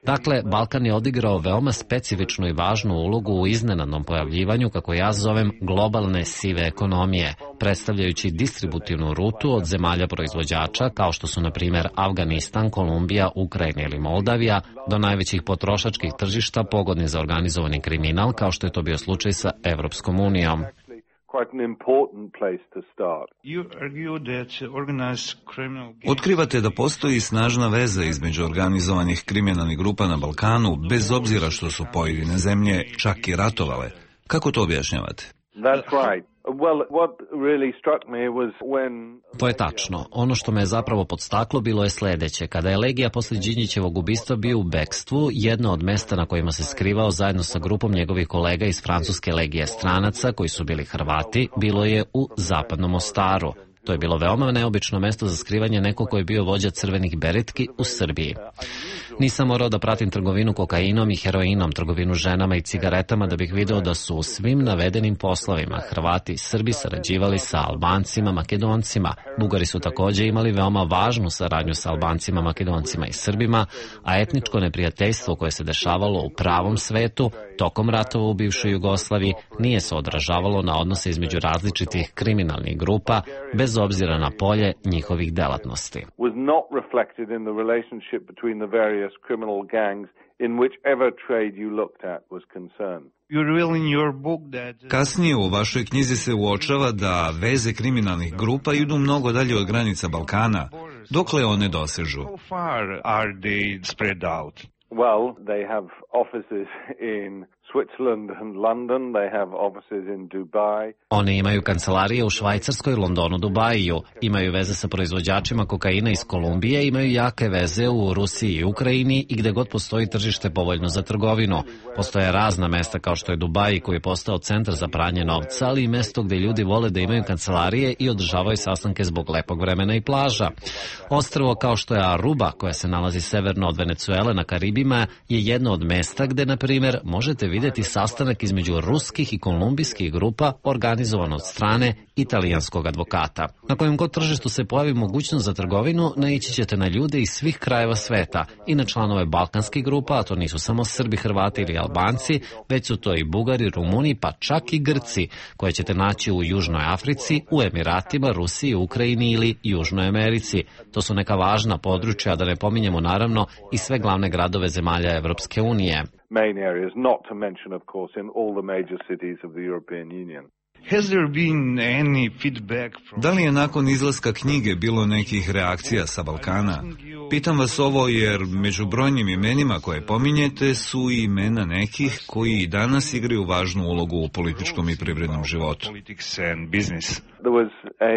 Dakle, Balkan je odigrao veoma specifičnu i važnu ulogu u iznenadnom pojavljivanju, kako ja zovem, globalne sive ekonomije, predstavljajući distributivnu rutu od zemalja proizvođača, kao što su, na primjer, Afganistan, Kolumbija, Ukrajina ili Moldavija, do najvećih potrošačkih tržišta pogodni za organizovani kriminal, kao što je to bio slučaj sa Evropskom unijom. Otkrivate da postoji snažna veza između organizovanih kriminalnih grupa na Balkanu, bez obzira što su pojedine zemlje čak i ratovale. Kako to objašnjavate? To je tačno. Ono što me je zapravo podstaklo bilo je sledeće. Kada je Legija posle Đinđićevog ubistva bio u bekstvu, jedno od mesta na kojima se skrivao zajedno sa grupom njegovih kolega iz francuske legije stranaca, koji su bili Hrvati, bilo je u Zapadnom Mostaru. To je bilo veoma neobično mesto za skrivanje nekog koji je bio vođa crvenih beretki u Srbiji. Nisam morao da pratim trgovinu kokainom i heroinom, trgovinu ženama i cigaretama da bih video da su u svim navedenim poslovima Hrvati i Srbi sarađivali sa Albancima, Makedoncima. Bugari su takođe imali veoma važnu saradnju sa Albancima, Makedoncima i Srbima, a etničko neprijateljstvo koje se dešavalo u pravom svetu tokom ratova u bivšoj Jugoslaviji nije se odražavalo na odnose između različitih kriminalnih grupa, bez obzira na polje njihovih delatnosti. Kasnije u vašoj knjizi se uočava da veze kriminalnih grupa idu mnogo dalje od granica Balkana. Dokle one dosežu? Well, they have offices in Switzerland and London, they have offices in Dubai. Oni imaju kancelarije u Švajcarskoj, Londonu, Dubaju, imaju veze sa proizvođačima kokaina iz Kolumbije, imaju jake veze u Rusiji i Ukrajini i gde god postoji tržište povoljno za trgovinu. Postoje razna mesta kao što je Dubaj, koji je postao centar za pranje novca, ali i mesto gde ljudi vole da imaju kancelarije i održavaju sastanke zbog lepog vremena i plaža. Ostrvo kao što je Aruba, koja se nalazi severno od Venecuele na Karibima, je jedno od mesta gde, na primjer, možete videti sastanak između ruskih i kolumbijskih grupa organizovan od strane italijanskog advokata. Na kojem god tržištu se pojavi mogućnost za trgovinu, naići ćete na ljude iz svih krajeva sveta i na članove balkanskih grupa, a to nisu samo Srbi, Hrvati ili Albanci, već su to i Bugari, Rumuni, pa čak i Grci, koje ćete naći u Južnoj Africi, u Emiratima, Rusiji, Ukrajini ili Južnoj Americi. To su neka važna područja, da ne pominjemo naravno i sve glavne gradove zemalja Evropske unije. Main areas, not to mention, of course, in all the major cities of the European Union. Da li je nakon izlaska knjige bilo nekih reakcija sa Balkana? Pitam vas ovo jer među brojnim imenima koje pominjete su i imena nekih koji i danas igraju važnu ulogu u političkom i privrednom životu. There was a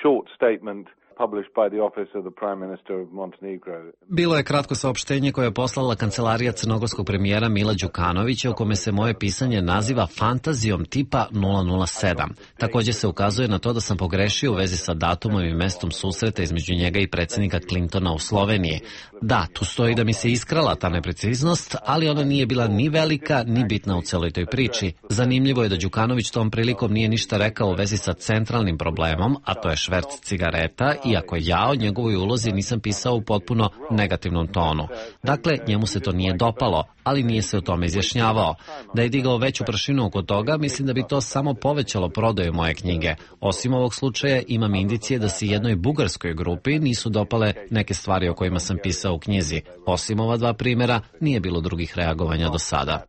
short statement published by the office of the Prime Minister of Montenegro. Bilo je kratko saopštenje koje je poslala kancelarija crnogorskog premijera Mila Đukanovića, u kome se moje pisanje naziva fantazijom tipa 007. Takođe se ukazuje na to da sam pogrešio u vezi sa datumom i mestom susreta između njega i predsjednika Clintona u Sloveniji. Da, tu stoji da mi se iskrala ta nepreciznost, ali ona nije bila ni velika, ni bitna u celoj toj priči. Zanimljivo je da Đukanović tom prilikom nije ništa rekao u vezi sa centralnim problemom, a to je šverc cigareta, iako ja o njegovoj ulozi nisam pisao u potpuno negativnom tonu. Dakle, njemu se to nije dopalo, ali nije se o tome izjašnjavao. Da je digao veću prašinu oko toga, mislim da bi to samo povećalo prodaju moje knjige. Osim ovog slučaja, imam indicije da se jednoj bugarskoj grupi nisu dopale neke stvari o kojima sam pisao u knjizi. Osim ova dva primjera, nije bilo drugih reagovanja do sada.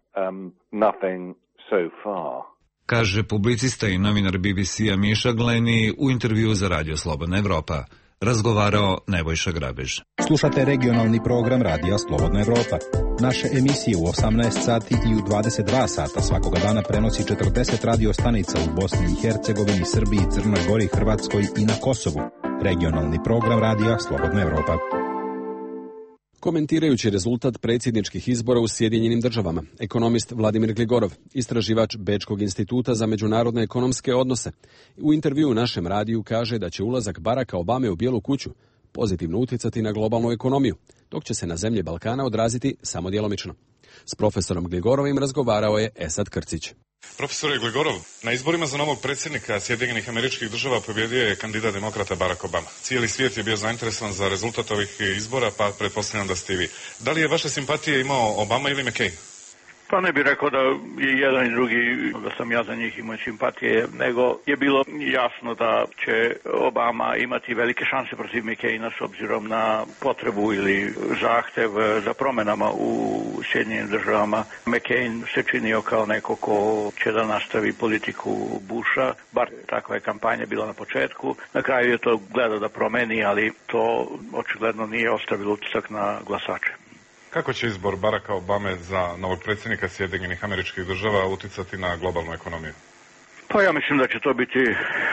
Nothing so far. Kaže publicista i novinar BBC-a Miša Gleni u intervju za Radio Slobodna Evropa. razgovarao Nebojša Grabež. Slušate regionalni program Radija Slobodna Evropa. Naše emisije u 18 sati i u 22 sata svakoga dana prenosi 40 radio stanica u Bosni i Hercegovini, Srbiji, Crnoj Gori, Hrvatskoj i na Kosovu. Regionalni program Radija Slobodna Evropa. Komentirajući rezultat predsjedničkih izbora u Sjedinjenim državama, ekonomist Vladimir Gligorov, istraživač Bečkog instituta za međunarodne ekonomske odnose, u intervjuu našem radiju kaže da će ulazak Baracka Obame u Bijelu kuću pozitivno utjecati na globalnu ekonomiju, dok će se na zemlje Balkana odraziti samo djelomično. S profesorom Gligorovim razgovarao je Esad Krcić. Profesore Gligorov, na izborima za novog predsjednika Sjedinjenih Američkih Država pobjedio je kandidat demokrata Barack Obama. Cijeli svijet je bio zainteresovan za rezultat ovih izbora, pa pretpostavljam da ste i vi. Da li je vaše simpatije imao Obama ili McCain? Pa ne bih rekao da je jedan i drugi, da sam ja za njih imao simpatije, nego je bilo jasno da će Obama imati velike šanse protiv McCaina s obzirom na potrebu ili zahtev za promjenama u Sjedinjenim državama. McCain se činio kao neko ko će da nastavi politiku Busha, bar takva je kampanja bila na početku. Na kraju je to gledao da promeni, ali to očigledno nije ostavilo utisak na glasače. Kako će izbor Baracka Obame za novog predsjednika Sjedinjenih Američkih Država utjecati na globalnu ekonomiju? Pa ja mislim da će to biti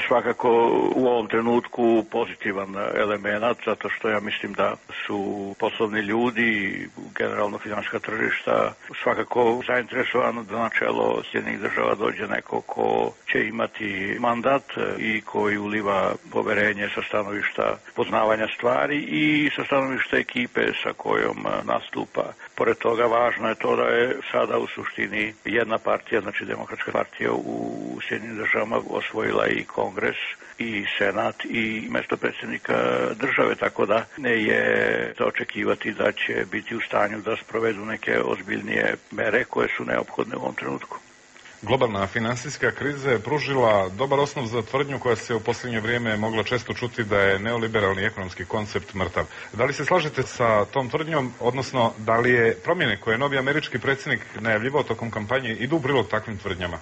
svakako u ovom trenutku pozitivan element, zato što ja mislim da su poslovni ljudi, generalno finansijska tržišta, svakako zainteresovano da na čelo Sjedinjenih država dođe neko ko će imati mandat i koji uliva poverenje sa stanovišta poznavanja stvari i sa stanovišta ekipe sa kojom nastupa. Pored toga važno je to da je sada u suštini jedna partija, znači Demokratska partija u Sjedinjenim državama osvojila i Kongres i Senat i mjesto predsjednika države, tako da ne je za očekivati da će biti u stanju da sprovedu neke ozbiljnije mere koje su neophodne u ovom trenutku. Globalna financijska kriza je pružila dobar osnov za tvrdnju koja se u posljednje vrijeme mogla često čuti da je neoliberalni ekonomski koncept mrtav. Da li se slažete sa tom tvrdnjom, odnosno da li je promjene koje je novi američki predsjednik najavljivao tokom kampanje idu u prilog takvim tvrdnjama?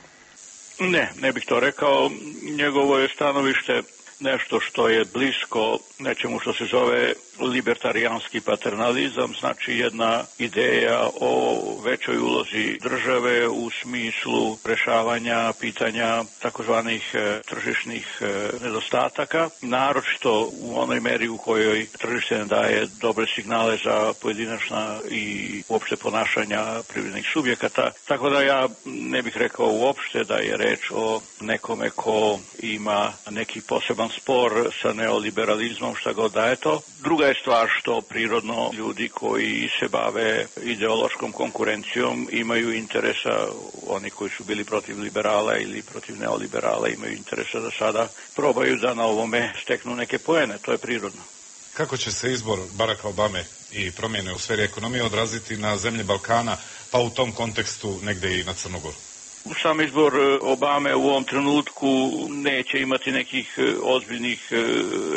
Ne bih to rekao. Njegovo je stanovište nešto što je blisko nečemu što se zove libertarijanski paternalizam, znači jedna ideja o većoj ulozi države u smislu rješavanja pitanja takozvanih tržišnih nedostataka, naročito u onoj meri u kojoj tržište ne daje dobre signale za pojedinačna i uopšte ponašanja privrednih subjekata. Tako da ja ne bih rekao uopšte da je reč o nekome ko ima neki poseban spor sa neoliberalizmom, šta god da je to. Druga je stvar što prirodno ljudi koji se bave ideološkom konkurencijom imaju interesa, oni koji su bili protiv liberala ili protiv neoliberala imaju interesa da sada probaju da na ovome steknu neke poene, to je prirodno. Kako će se izbor Baracka Obame i promjene u sferi ekonomije odraziti na zemlje Balkana, pa u tom kontekstu negdje i na Crnu Goru? Sam izbor Obame u ovom trenutku neće imati nekih ozbiljnih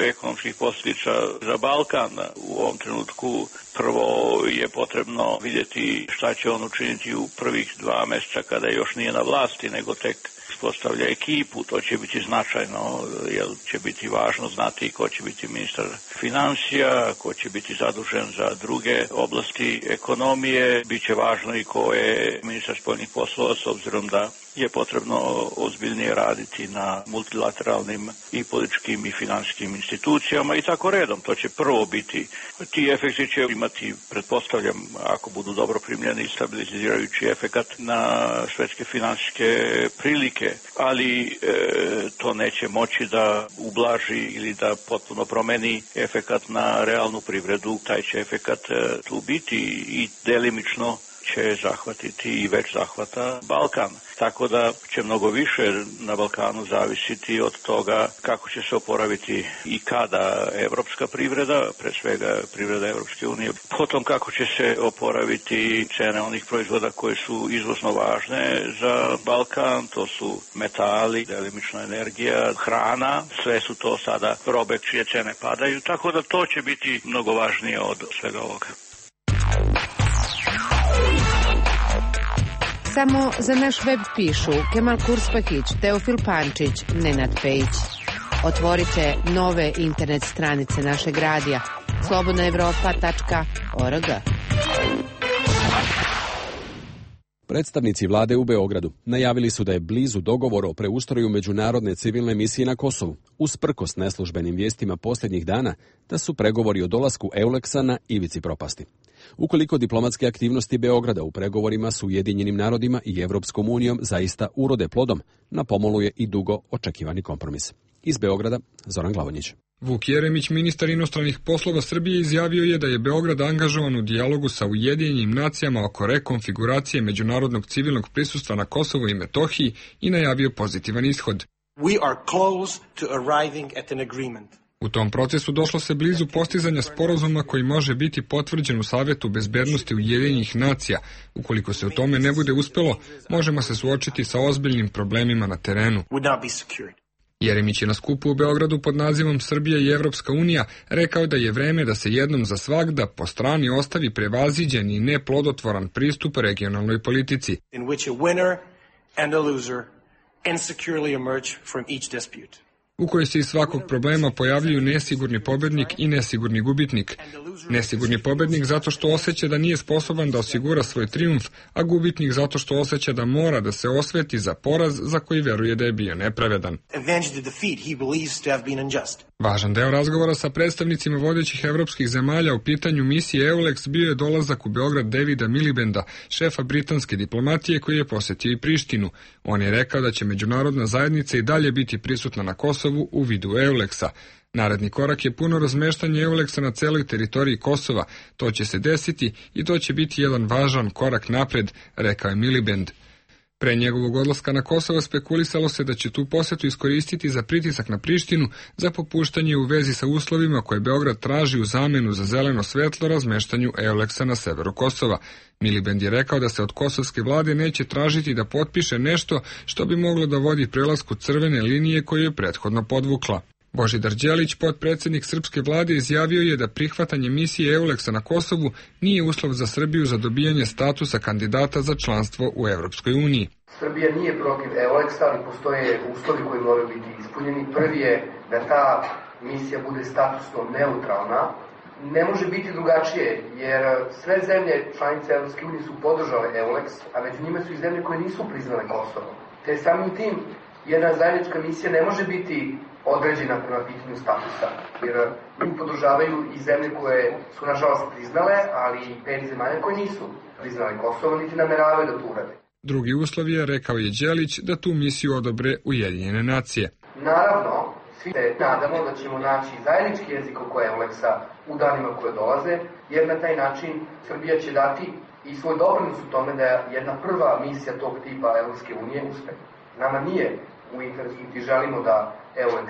ekonomskih posljedica za Balkan. U ovom trenutku prvo je potrebno vidjeti šta će on učiniti u prvih 2 mjeseca kada još nije na vlasti, nego tek postavlja ekipu. To će biti značajno, jer će biti važno znati ko će biti ministar financija, ko će biti zadužen za druge oblasti ekonomije. Biće važno i ko je ministar spoljnih poslova, s obzirom da je potrebno ozbiljnije raditi na multilateralnim i političkim i financijskim institucijama i tako redom. To će prvo biti. Ti efekti će imati, pretpostavljam, ako budu dobro primljeni, stabilizirajući efekat na svjetske financijske prilike, ali to neće moći da ublaži ili da potpuno promeni efekat na realnu privredu. Taj će efekat tu biti i delimično će zahvatiti i već zahvata Balkan. Tako da će mnogo više na Balkanu zavisiti od toga kako će se oporaviti i kada evropska privreda, pre svega privreda Evropske unije, potom kako će se oporaviti cene onih proizvoda koje su izvozno važne za Balkan, to su metali, delimična energija, hrana, sve su to sada robe čije cene padaju, tako da to će biti mnogo važnije od svega ovoga. Samo za naš web pišu Kemal Kurspahić, Teofil Pančić, Nenad Pejić. Otvorite nove internet stranice našeg radija slobodnaevropa.org. Predstavnici vlade u Beogradu najavili su da je blizu dogovor o preustroju međunarodne civilne misije na Kosovu, usprkos neslužbenim vijestima posljednjih dana da su pregovori o dolasku EULEX-a na ivici propasti. Ukoliko diplomatske aktivnosti Beograda u pregovorima s Ujedinjenim narodima i Evropskom unijom zaista urode plodom, na pomolu je i dugo očekivani kompromis. Iz Beograda, Zoran Glavonjić. Vuk Jeremić, ministar inostranih poslova Srbije, izjavio je da je Beograd angažovan u dijalogu sa Ujedinjenim nacijama oko rekonfiguracije međunarodnog civilnog prisustva na Kosovu i Metohiji i najavio pozitivan ishod. We are close to arriving at an agreement. U tom procesu došlo se blizu postizanja sporazuma koji može biti potvrđen u Savetu bezbednosti Ujedinjenih nacija. Ukoliko se u tome ne bude uspelo, možemo se suočiti sa ozbiljnim problemima na terenu. Jeremić je na skupu u Beogradu pod nazivom Srbija i Evropska unija rekao da je vreme da se jednom za svagda po strani ostavi prevaziđen i neplodotvoran pristup regionalnoj politici. In which a winner and a loser insecurely emerge from each dispute. U kojoj se iz svakog problema pojavljuju nesigurni pobednik i nesigurni gubitnik. Nesigurni pobednik zato što osjeća da nije sposoban da osigura svoj trijumf, a gubitnik zato što osjeća da mora da se osveti za poraz za koji veruje da je bio nepravedan. Važan deo razgovora sa predstavnicima vodećih evropskih zemalja u pitanju misije EULEX bio je dolazak u Beograd Davida Milibanda, šefa britanske diplomatije koji je posjetio i Prištinu. On je rekao da će međunarodna zajednica i dalje biti prisutna na Kosovu u vidu EULEX-a. Naredni korak je puno razmeštanje EULEX-a na celoj teritoriji Kosova. To će se desiti i to će biti jedan važan korak napred, rekao je Miliband. Pre njegovog odlaska na Kosovo spekulisalo se da će tu posjetu iskoristiti za pritisak na Prištinu za popuštanje u vezi sa uslovima koje Beograd traži u zamenu za zeleno svetlo razmeštanju EULEX-a na severu Kosova. Miliband je rekao da se od kosovske vlade neće tražiti da potpiše nešto što bi moglo da vodi prelasku crvene linije koju je prethodno podvukla. Božidar Đelić, potpredsjednik srpske vlade, izjavio je da prihvatanje misije EULEX-a na Kosovu nije uslov za Srbiju za dobijanje statusa kandidata za članstvo u Evropskoj uniji. Srbija nije protiv EULEX-a, ali postoje uslovi koji moraju biti ispunjeni. Prvi je da ta misija bude statusno neutralna. Ne može biti drugačije, jer sve zemlje članice Evropske unije su podržale EULEX, a među njima su i zemlje koje nisu priznale Kosovo. Te samim tim jedna zajednička misija ne može biti određena prema pitanju statusa, jer nju podržavaju i zemlje koje su nažalost priznale, ali i 5 zemalja koje nisu priznale Kosovo, niti nameravaju da to urade. Drugi uslov je, rekao je Đelić, da tu misiju odobre Ujedinjene nacije. Naravno, svi se nadamo da ćemo naći zajednički jezik oko EULEX-a u danima koje dolaze, jer na taj način Srbija će dati i svoj doprinos u tome da jedna prva misija tog tipa Evropske unije uspe. Nama nije u interesu niti želimo da EULEX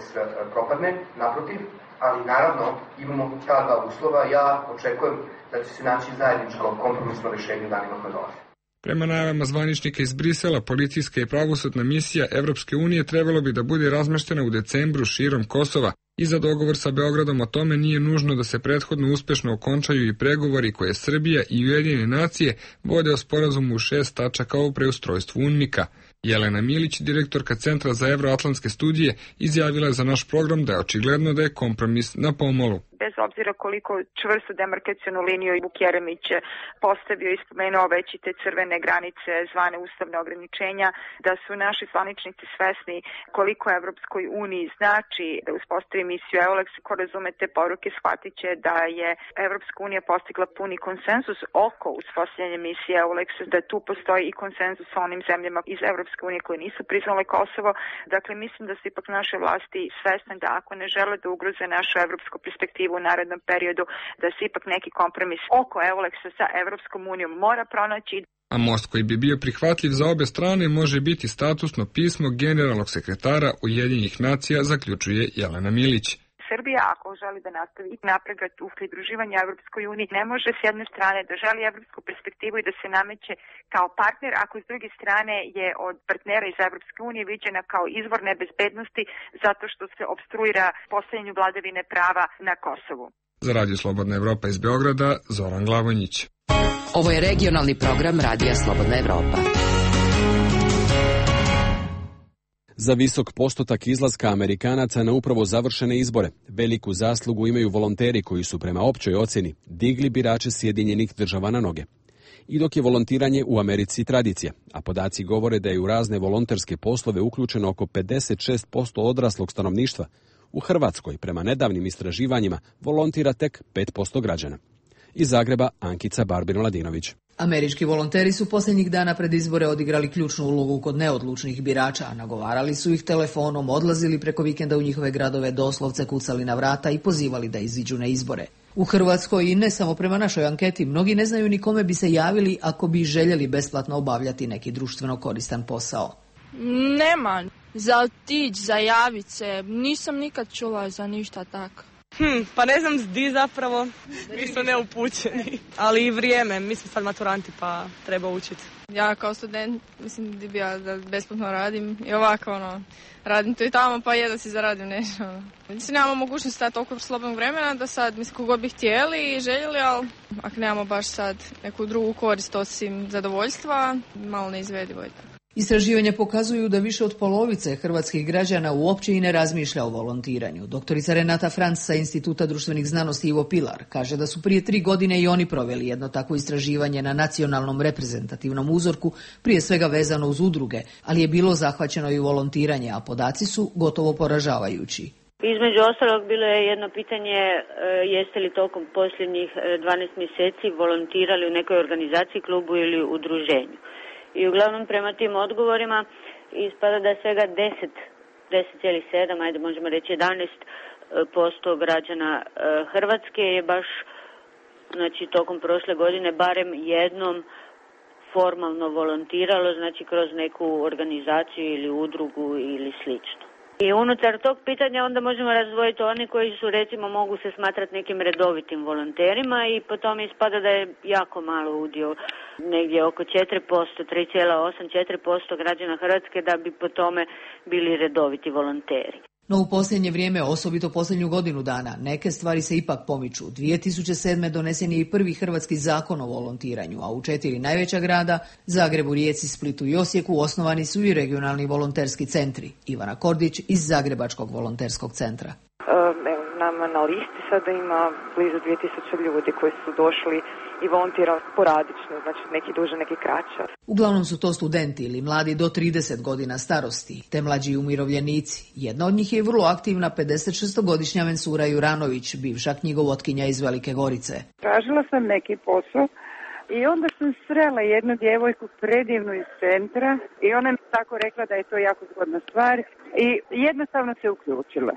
propadne, naprotiv, ali naravno imamo ta dva uslova. Ja očekujem da će se naći zajedničko kompromisno rješenje u danima koje dolaze. Prema najavama zvaničnika iz Brisela, policijska i pravosudna misija Evropske unije trebalo bi da bude razmeštena u decembru širom Kosova. I za dogovor sa Beogradom o tome nije nužno da se prethodno uspešno okončaju i pregovori koje Srbija i Ujedinjene nacije vode o sporazumu u 6 tačaka o preustrojstvu UNMIK-a. Jelena Milić, direktorka Centra za evroatlantske studije, izjavila je za naš program da je očigledno da je kompromis na pomolu. Bez obzira koliko čvrstu demarkacionu liniju Vuk Jeremić postavio i spomenuo već i te crvene granice zvane ustavne ograničenja, da su naši zvaničnici svesni koliko Evropskoj uniji znači da uspostavi misiju EULEX. Ko razume te poruke shvatit će da je Evropska unija postigla puni konsenzus oko uspostavljanja misije EULEX, da tu postoji i konsenzus sa onim zemljama iz Evropske unije koje nisu priznale Kosovo. Dakle, mislim da su ipak naše vlasti svesne da ako ne žele da ugroze našu evropsku perspektivu u narednom periodu, da se ipak neki kompromis oko EULEX-a sa Evropskom unijom mora pronaći. A most koji bi bio prihvatljiv za obe strane može biti statusno pismo generalnog sekretara Ujedinjenih nacija, zaključuje Jelena Milić. Srbija, ako želi da nastavi napredak u pridruživanju Evropskoj uniji, ne može s jedne strane da želi evropsku perspektivu i da se nameće kao partner, ako s druge strane je od partnera iz Evropske unije viđena kao izvor nebezbednosti zato što se opstruira postavljanju vladavine prava na Kosovu. Za Radio Slobodna Evropa iz Beograda, Zoran Glavonjić. Ovo je regionalni program Radija Slobodna Evropa. Za visok postotak izlaska Amerikanaca na upravo završene izbore veliku zaslugu imaju volonteri koji su prema općoj ocjeni digli birače Sjedinjenih Država na noge. I dok je volontiranje u Americi tradicija, a podaci govore da je u razne volonterske poslove uključeno oko 56% odraslog stanovništva, u Hrvatskoj, prema nedavnim istraživanjima, volontira tek 5% građana. Iz Zagreba, Ankica Barbin-Ladinović. Američki volonteri su posljednjih dana pred izbore odigrali ključnu ulogu kod neodlučnih birača, nagovarali su ih telefonom, odlazili preko vikenda u njihove gradove, doslovce kucali na vrata i pozivali da iziđu na izbore. U Hrvatskoj i ne samo prema našoj anketi, mnogi ne znaju ni kome bi se javili ako bi željeli besplatno obavljati neki društveno koristan posao. Nema. Za otići, za javit se, nisam nikad čula za ništa tako. Pa ne znam di zapravo, mi smo neupućeni, ali i vrijeme, mi smo sad maturanti pa treba učiti. Ja kao student, mislim da besplatno radim i ovako radim to i tamo pa jedno si zaradim nešto. Mislim, nemamo mogućnosti sad toliko slobodnog vremena da sad, mislim, kogod bi htjeli i željeli, ali ako nemamo baš sad neku drugu korist osim zadovoljstva, malo neizvedivo je tako. Istraživanja pokazuju da više od polovice hrvatskih građana uopće i ne razmišlja o volontiranju. Doktorica Renata Franc sa Instituta društvenih znanosti Ivo Pilar kaže da su prije 3 godine i oni proveli jedno takvo istraživanje na nacionalnom reprezentativnom uzorku, prije svega vezano uz udruge, ali je bilo zahvaćeno i volontiranje, a podaci su gotovo poražavajući. Između ostalog bilo je jedno pitanje jeste li tokom posljednjih 12 mjeseci volontirali u nekoj organizaciji, klubu ili udruženju. I uglavnom prema tim odgovorima ispada da svega 10,7, ajde možemo reći 11% građana Hrvatske je baš, znači tokom prošle godine barem jednom formalno volontiralo, znači kroz neku organizaciju ili udrugu ili slično. I unutar tog pitanja onda možemo razdvojiti oni koji su, recimo, mogu se smatrati nekim redovitim volonterima i potom ispada da je jako malo udio, negdje oko 4%, 3,8-4% građana Hrvatske da bi po tome bili redoviti volonteri. No u posljednje vrijeme, osobito posljednju godinu dana, neke stvari se ipak pomiču. 2007. donesen je i prvi hrvatski zakon o volontiranju, a u 4 najveća grada, Zagrebu, Rijeci, Splitu i Osijeku, osnovani su i regionalni volonterski centri. Ivana Kordić iz Zagrebačkog volonterskog centra. Nama na listi sada ima blizu 2000 ljudi koji su došli i volontirali sporadično, znači neki duže, neki kraće. Uglavnom su to studenti ili mladi do 30 godina starosti, te mlađi umirovljenici. Jedna od njih je vrlo aktivna 56-godišnja Mensura Juranović, bivša knjigovotkinja iz Velike Gorice. Tražila sam neki posao i onda sam srela jednu djevojku predivnu iz centra i ona mi tako rekla da je to jako zgodna stvar i jednostavno se uključila.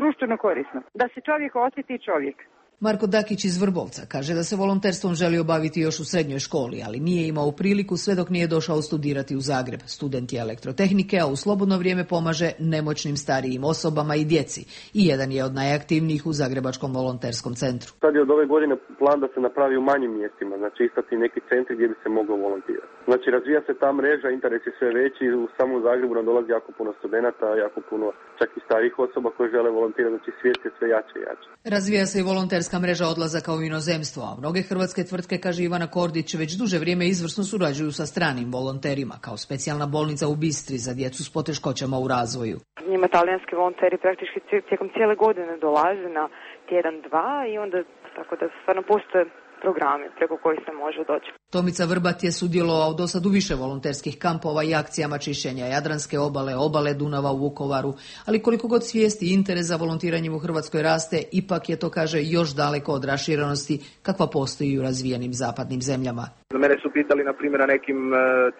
Društveno korisno. Da se čovjek osjeti čovjek. Marko Dakić iz Vrbovca kaže da se volonterstvom želi obaviti još u srednjoj školi, ali nije imao priliku sve dok nije došao studirati u Zagreb. Student je elektrotehnike, a u slobodno vrijeme pomaže nemoćnim starijim osobama i djeci. I jedan je od najaktivnijih u Zagrebačkom volonterskom centru. Sad je od ove godine plan da se napravi u manjim mjestima, znači istati neki centri gdje bi se moglo volontirati. Znači razvija se ta mreža, interes je sve veći, u samom Zagrebu nam dolazi jako puno studenata, jako puno čak i starijih osoba koji žele volontirati, znači svijet je sve jače i jače. Razvija se i volonterska mreža odlazaka u inozemstvo, a mnoge hrvatske tvrtke, kaže Ivana Kordić, već duže vrijeme izvrsno surađuju sa stranim volonterima, kao specijalna bolnica u Bistri za djecu s poteškoćama u razvoju. Njima talijanski volonteri praktički tijekom cijele godine dolaze na tjedan, dva i onda tako da stvarno postoje programi preko kojih se može doći. Tomica Vrbat je sudjelovao do sad u više volonterskih kampova i akcijama čišćenja Jadranske obale, obale Dunava u Vukovaru, ali koliko god svijesti i interes za volontiranjem u Hrvatskoj raste, ipak je to, kaže, još daleko od raširenosti kakva postoji u razvijenim zapadnim zemljama. Mene su pitali, na primjer, na nekim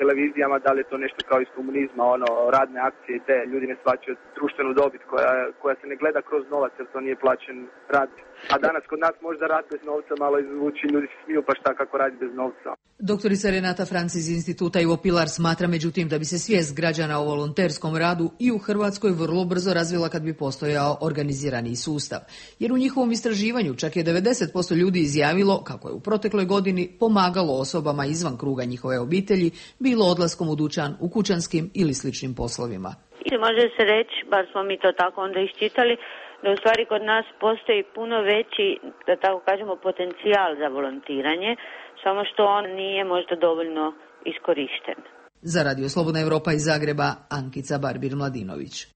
televizijama da li je to nešto kao iz komunizma, radne akcije i te ljudi ne shvaćaju društvenu dobit koja se ne gleda kroz novac jer to nije plaćen rad. A danas kod nas možda rad bez novca malo izvuči, ljudi se smiju pa šta kako radi bez novca. Doktorica Renata Franc iz Instituta Ivo Pilar smatra međutim da bi se svijest građana o volonterskom radu i u Hrvatskoj vrlo brzo razvila kad bi postojao organizirani sustav. Jer u njihovom istraživanju čak je 90% ljudi izjavilo kako je u protekloj godini pomagalo osobama izvan kruga njihove obitelji, bilo odlaskom u dućan, u kućanskim ili sličnim poslovima. Može se reći, bar smo mi to tako onda iščitali, da u stvari kod nas postoji puno veći, da tako kažemo, potencijal za volontiranje, samo što on nije možda dovoljno iskorišten. Za Radio Slobodna Evropa iz Zagreba, Ankica Barbir-Mladinović.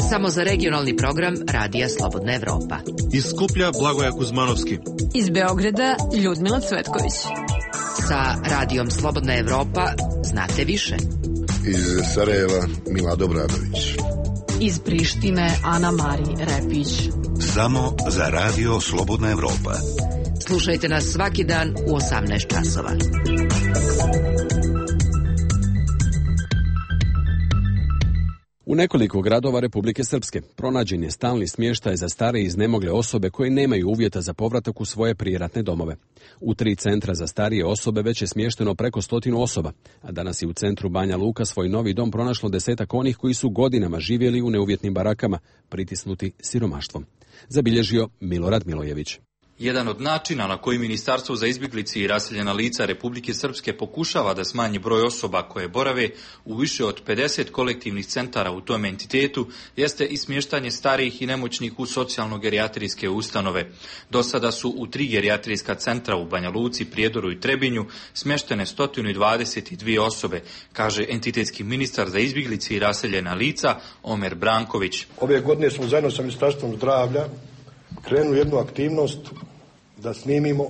Samo za regionalni program Radija Slobodna Evropa. Iz Skuplja Blagoja Kuzmanovski. Iz Beograda Ljudmila Cvetković. Sa Radijom Slobodna Evropa znate više. Iz Sarajeva Milado Bradović. Iz Prištine Ana Mari Repić. Samo za Radio Slobodna Evropa. Slušajte nas svaki dan u 18 časova. U nekoliko gradova Republike Srpske pronađen je stalni smještaj za stare i iznemogle osobe koje nemaju uvjeta za povratak u svoje prijeratne domove. U 3 centra za starije osobe već je smješteno preko 100 osoba, a danas je u centru Banja Luka svoj novi dom pronašlo 10 onih koji su godinama živjeli u neuvjetnim barakama, pritisnuti siromaštvom. Zabilježio Milorad Milojević. Jedan od načina na koji Ministarstvo za izbjeglice i raseljena lica Republike Srpske pokušava da smanji broj osoba koje borave u više od 50 kolektivnih centara u tom entitetu jeste i smještanje starijih i nemoćnih u socijalno-gerijatrijske ustanove. Do sada su u 3 gerijatrijska centra u Banja Luci, Prijedoru i Trebinju smještene 122 osobe, kaže entitetski ministar za izbjeglice i raseljena lica Omer Branković. Ove godine smo zajedno sa Ministarstvom zdravlja krenuli jednu aktivnost da snimimo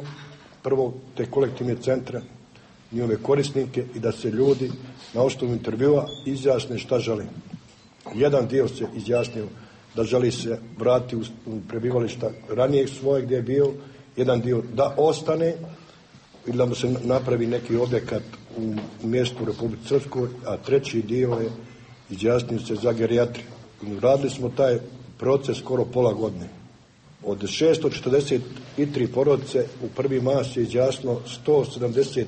prvo te kolektivne centre, njihove korisnike i da se ljudi na osnovu intervjua izjasne šta žele. Jedan dio se izjasnio da želi se vratiti u prebivališta ranijeg svoje gdje je bio, jedan dio da ostane ili da mu se napravi neki objekat u mjestu u Republici Srpskoj, a treći dio je izjasnio se za gerijatriju. Radili smo taj proces skoro pola godine. Od 643 porodice u prvi mas je izjasno 175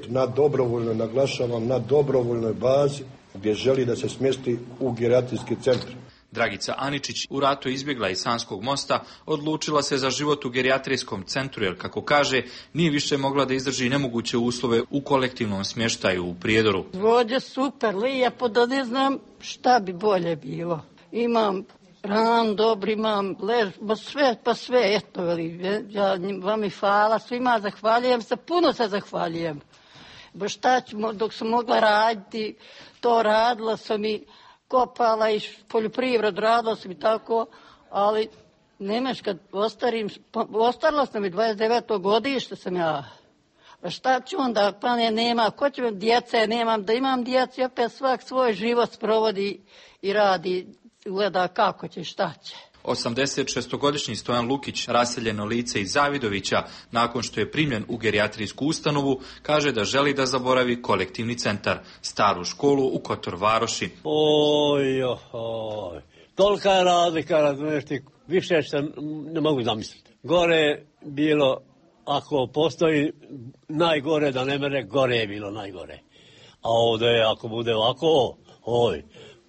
na dobrovoljnoj, naglašavam, na dobrovoljnoj bazi gdje želi da se smjesti u gerijatrijski centar. Dragica Aničić u ratu izbjegla iz Sanskog mosta, odlučila se za život u gerijatrijskom centru jer, kako kaže, nije više mogla da izdrži nemoguće uslove u kolektivnom smještaju u Prijedoru. Vođe super, lijepo, da ne znam šta bi bolje bilo. Imam ran, dobro, imam lež, pa sve, eto, ja vam i hvala svima, zahvaljujem se, puno se zahvaljujem. Bo šta ću, dok sam mogla raditi, to radila sam i kopala i poljoprivredu, radila sam i tako, ali nemaš kad ostarila sam i 29. godište sam ja. Pa šta ću onda, pa nema, ko će vam djece, nemam, da imam djece, opet svak svoj život sprovodi i radi, gleda kako će, šta će. 86-godišnji Stojan Lukić, raseljeno lice iz Zavidovića, nakon što je primljen u gerijatrijsku ustanovu, kaže da želi da zaboravi kolektivni centar, staru školu u Kotor Varoši. Oj, tolika je razlika, razumiješ ti, više što ne mogu zamisliti. Gore bilo, ako postoji najgore da ne mere, gore je bilo najgore. A ovdje, ako bude ovako,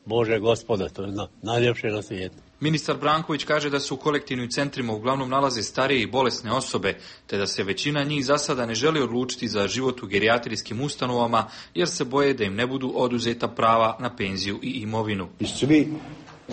Bože Gospode, to je najljepše na svijetu. Ministar Branković kaže da se u kolektivnim centrima uglavnom nalaze starije i bolesne osobe, te da se većina njih za sada ne želi odlučiti za život u gerijatrijskim ustanovama, jer se boje da im ne budu oduzeta prava na penziju i imovinu. I svi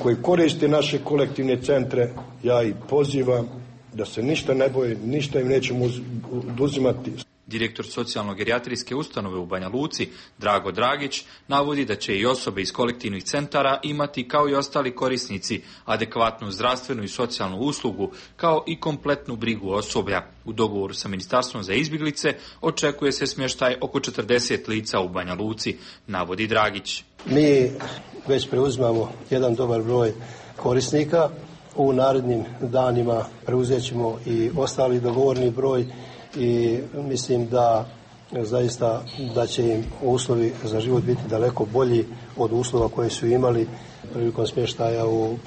koji koriste naše kolektivne centre, ja ih pozivam da se ništa ne boje, ništa im nećemo oduzimati. Direktor socijalno-gerijatrijske ustanove u Banja Luci, Drago Dragić, navodi da će i osobe iz kolektivnih centara imati, kao i ostali korisnici, adekvatnu zdravstvenu i socijalnu uslugu, kao i kompletnu brigu osoblja. U dogovoru sa Ministarstvom za izbjeglice očekuje se smještaj oko 40 lica u Banja Luci, navodi Dragić. Mi već preuzimamo jedan dobar broj korisnika. U narednim danima preuzet ćemo i ostali dogovorni broj i mislim da zaista da će im uslovi za život biti daleko bolji od uslova koje su imali prilikom smještaja u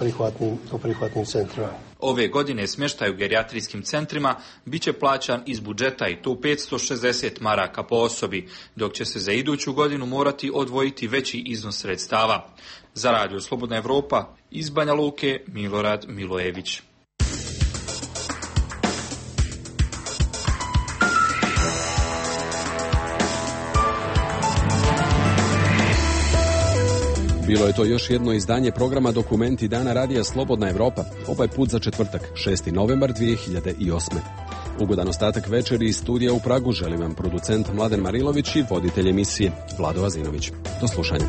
prihvatnim centrima. Ove godine smještaj u gerijatrijskim centrima bit će plaćan iz budžeta i to 560 maraka po osobi, dok će se za iduću godinu morati odvojiti veći iznos sredstava. Za Radio Slobodna Evropa iz Banja Luke, Milorad Milojević. Bilo je to još jedno izdanje programa Dokumenti dana Radija Slobodna Evropa, ovaj put za četvrtak, 6. novembar 2008. Ugodan ostatak večeri iz studija u Pragu želim vam producent Mladen Marilović i voditelj emisije Vlado Azinović. Do slušanja.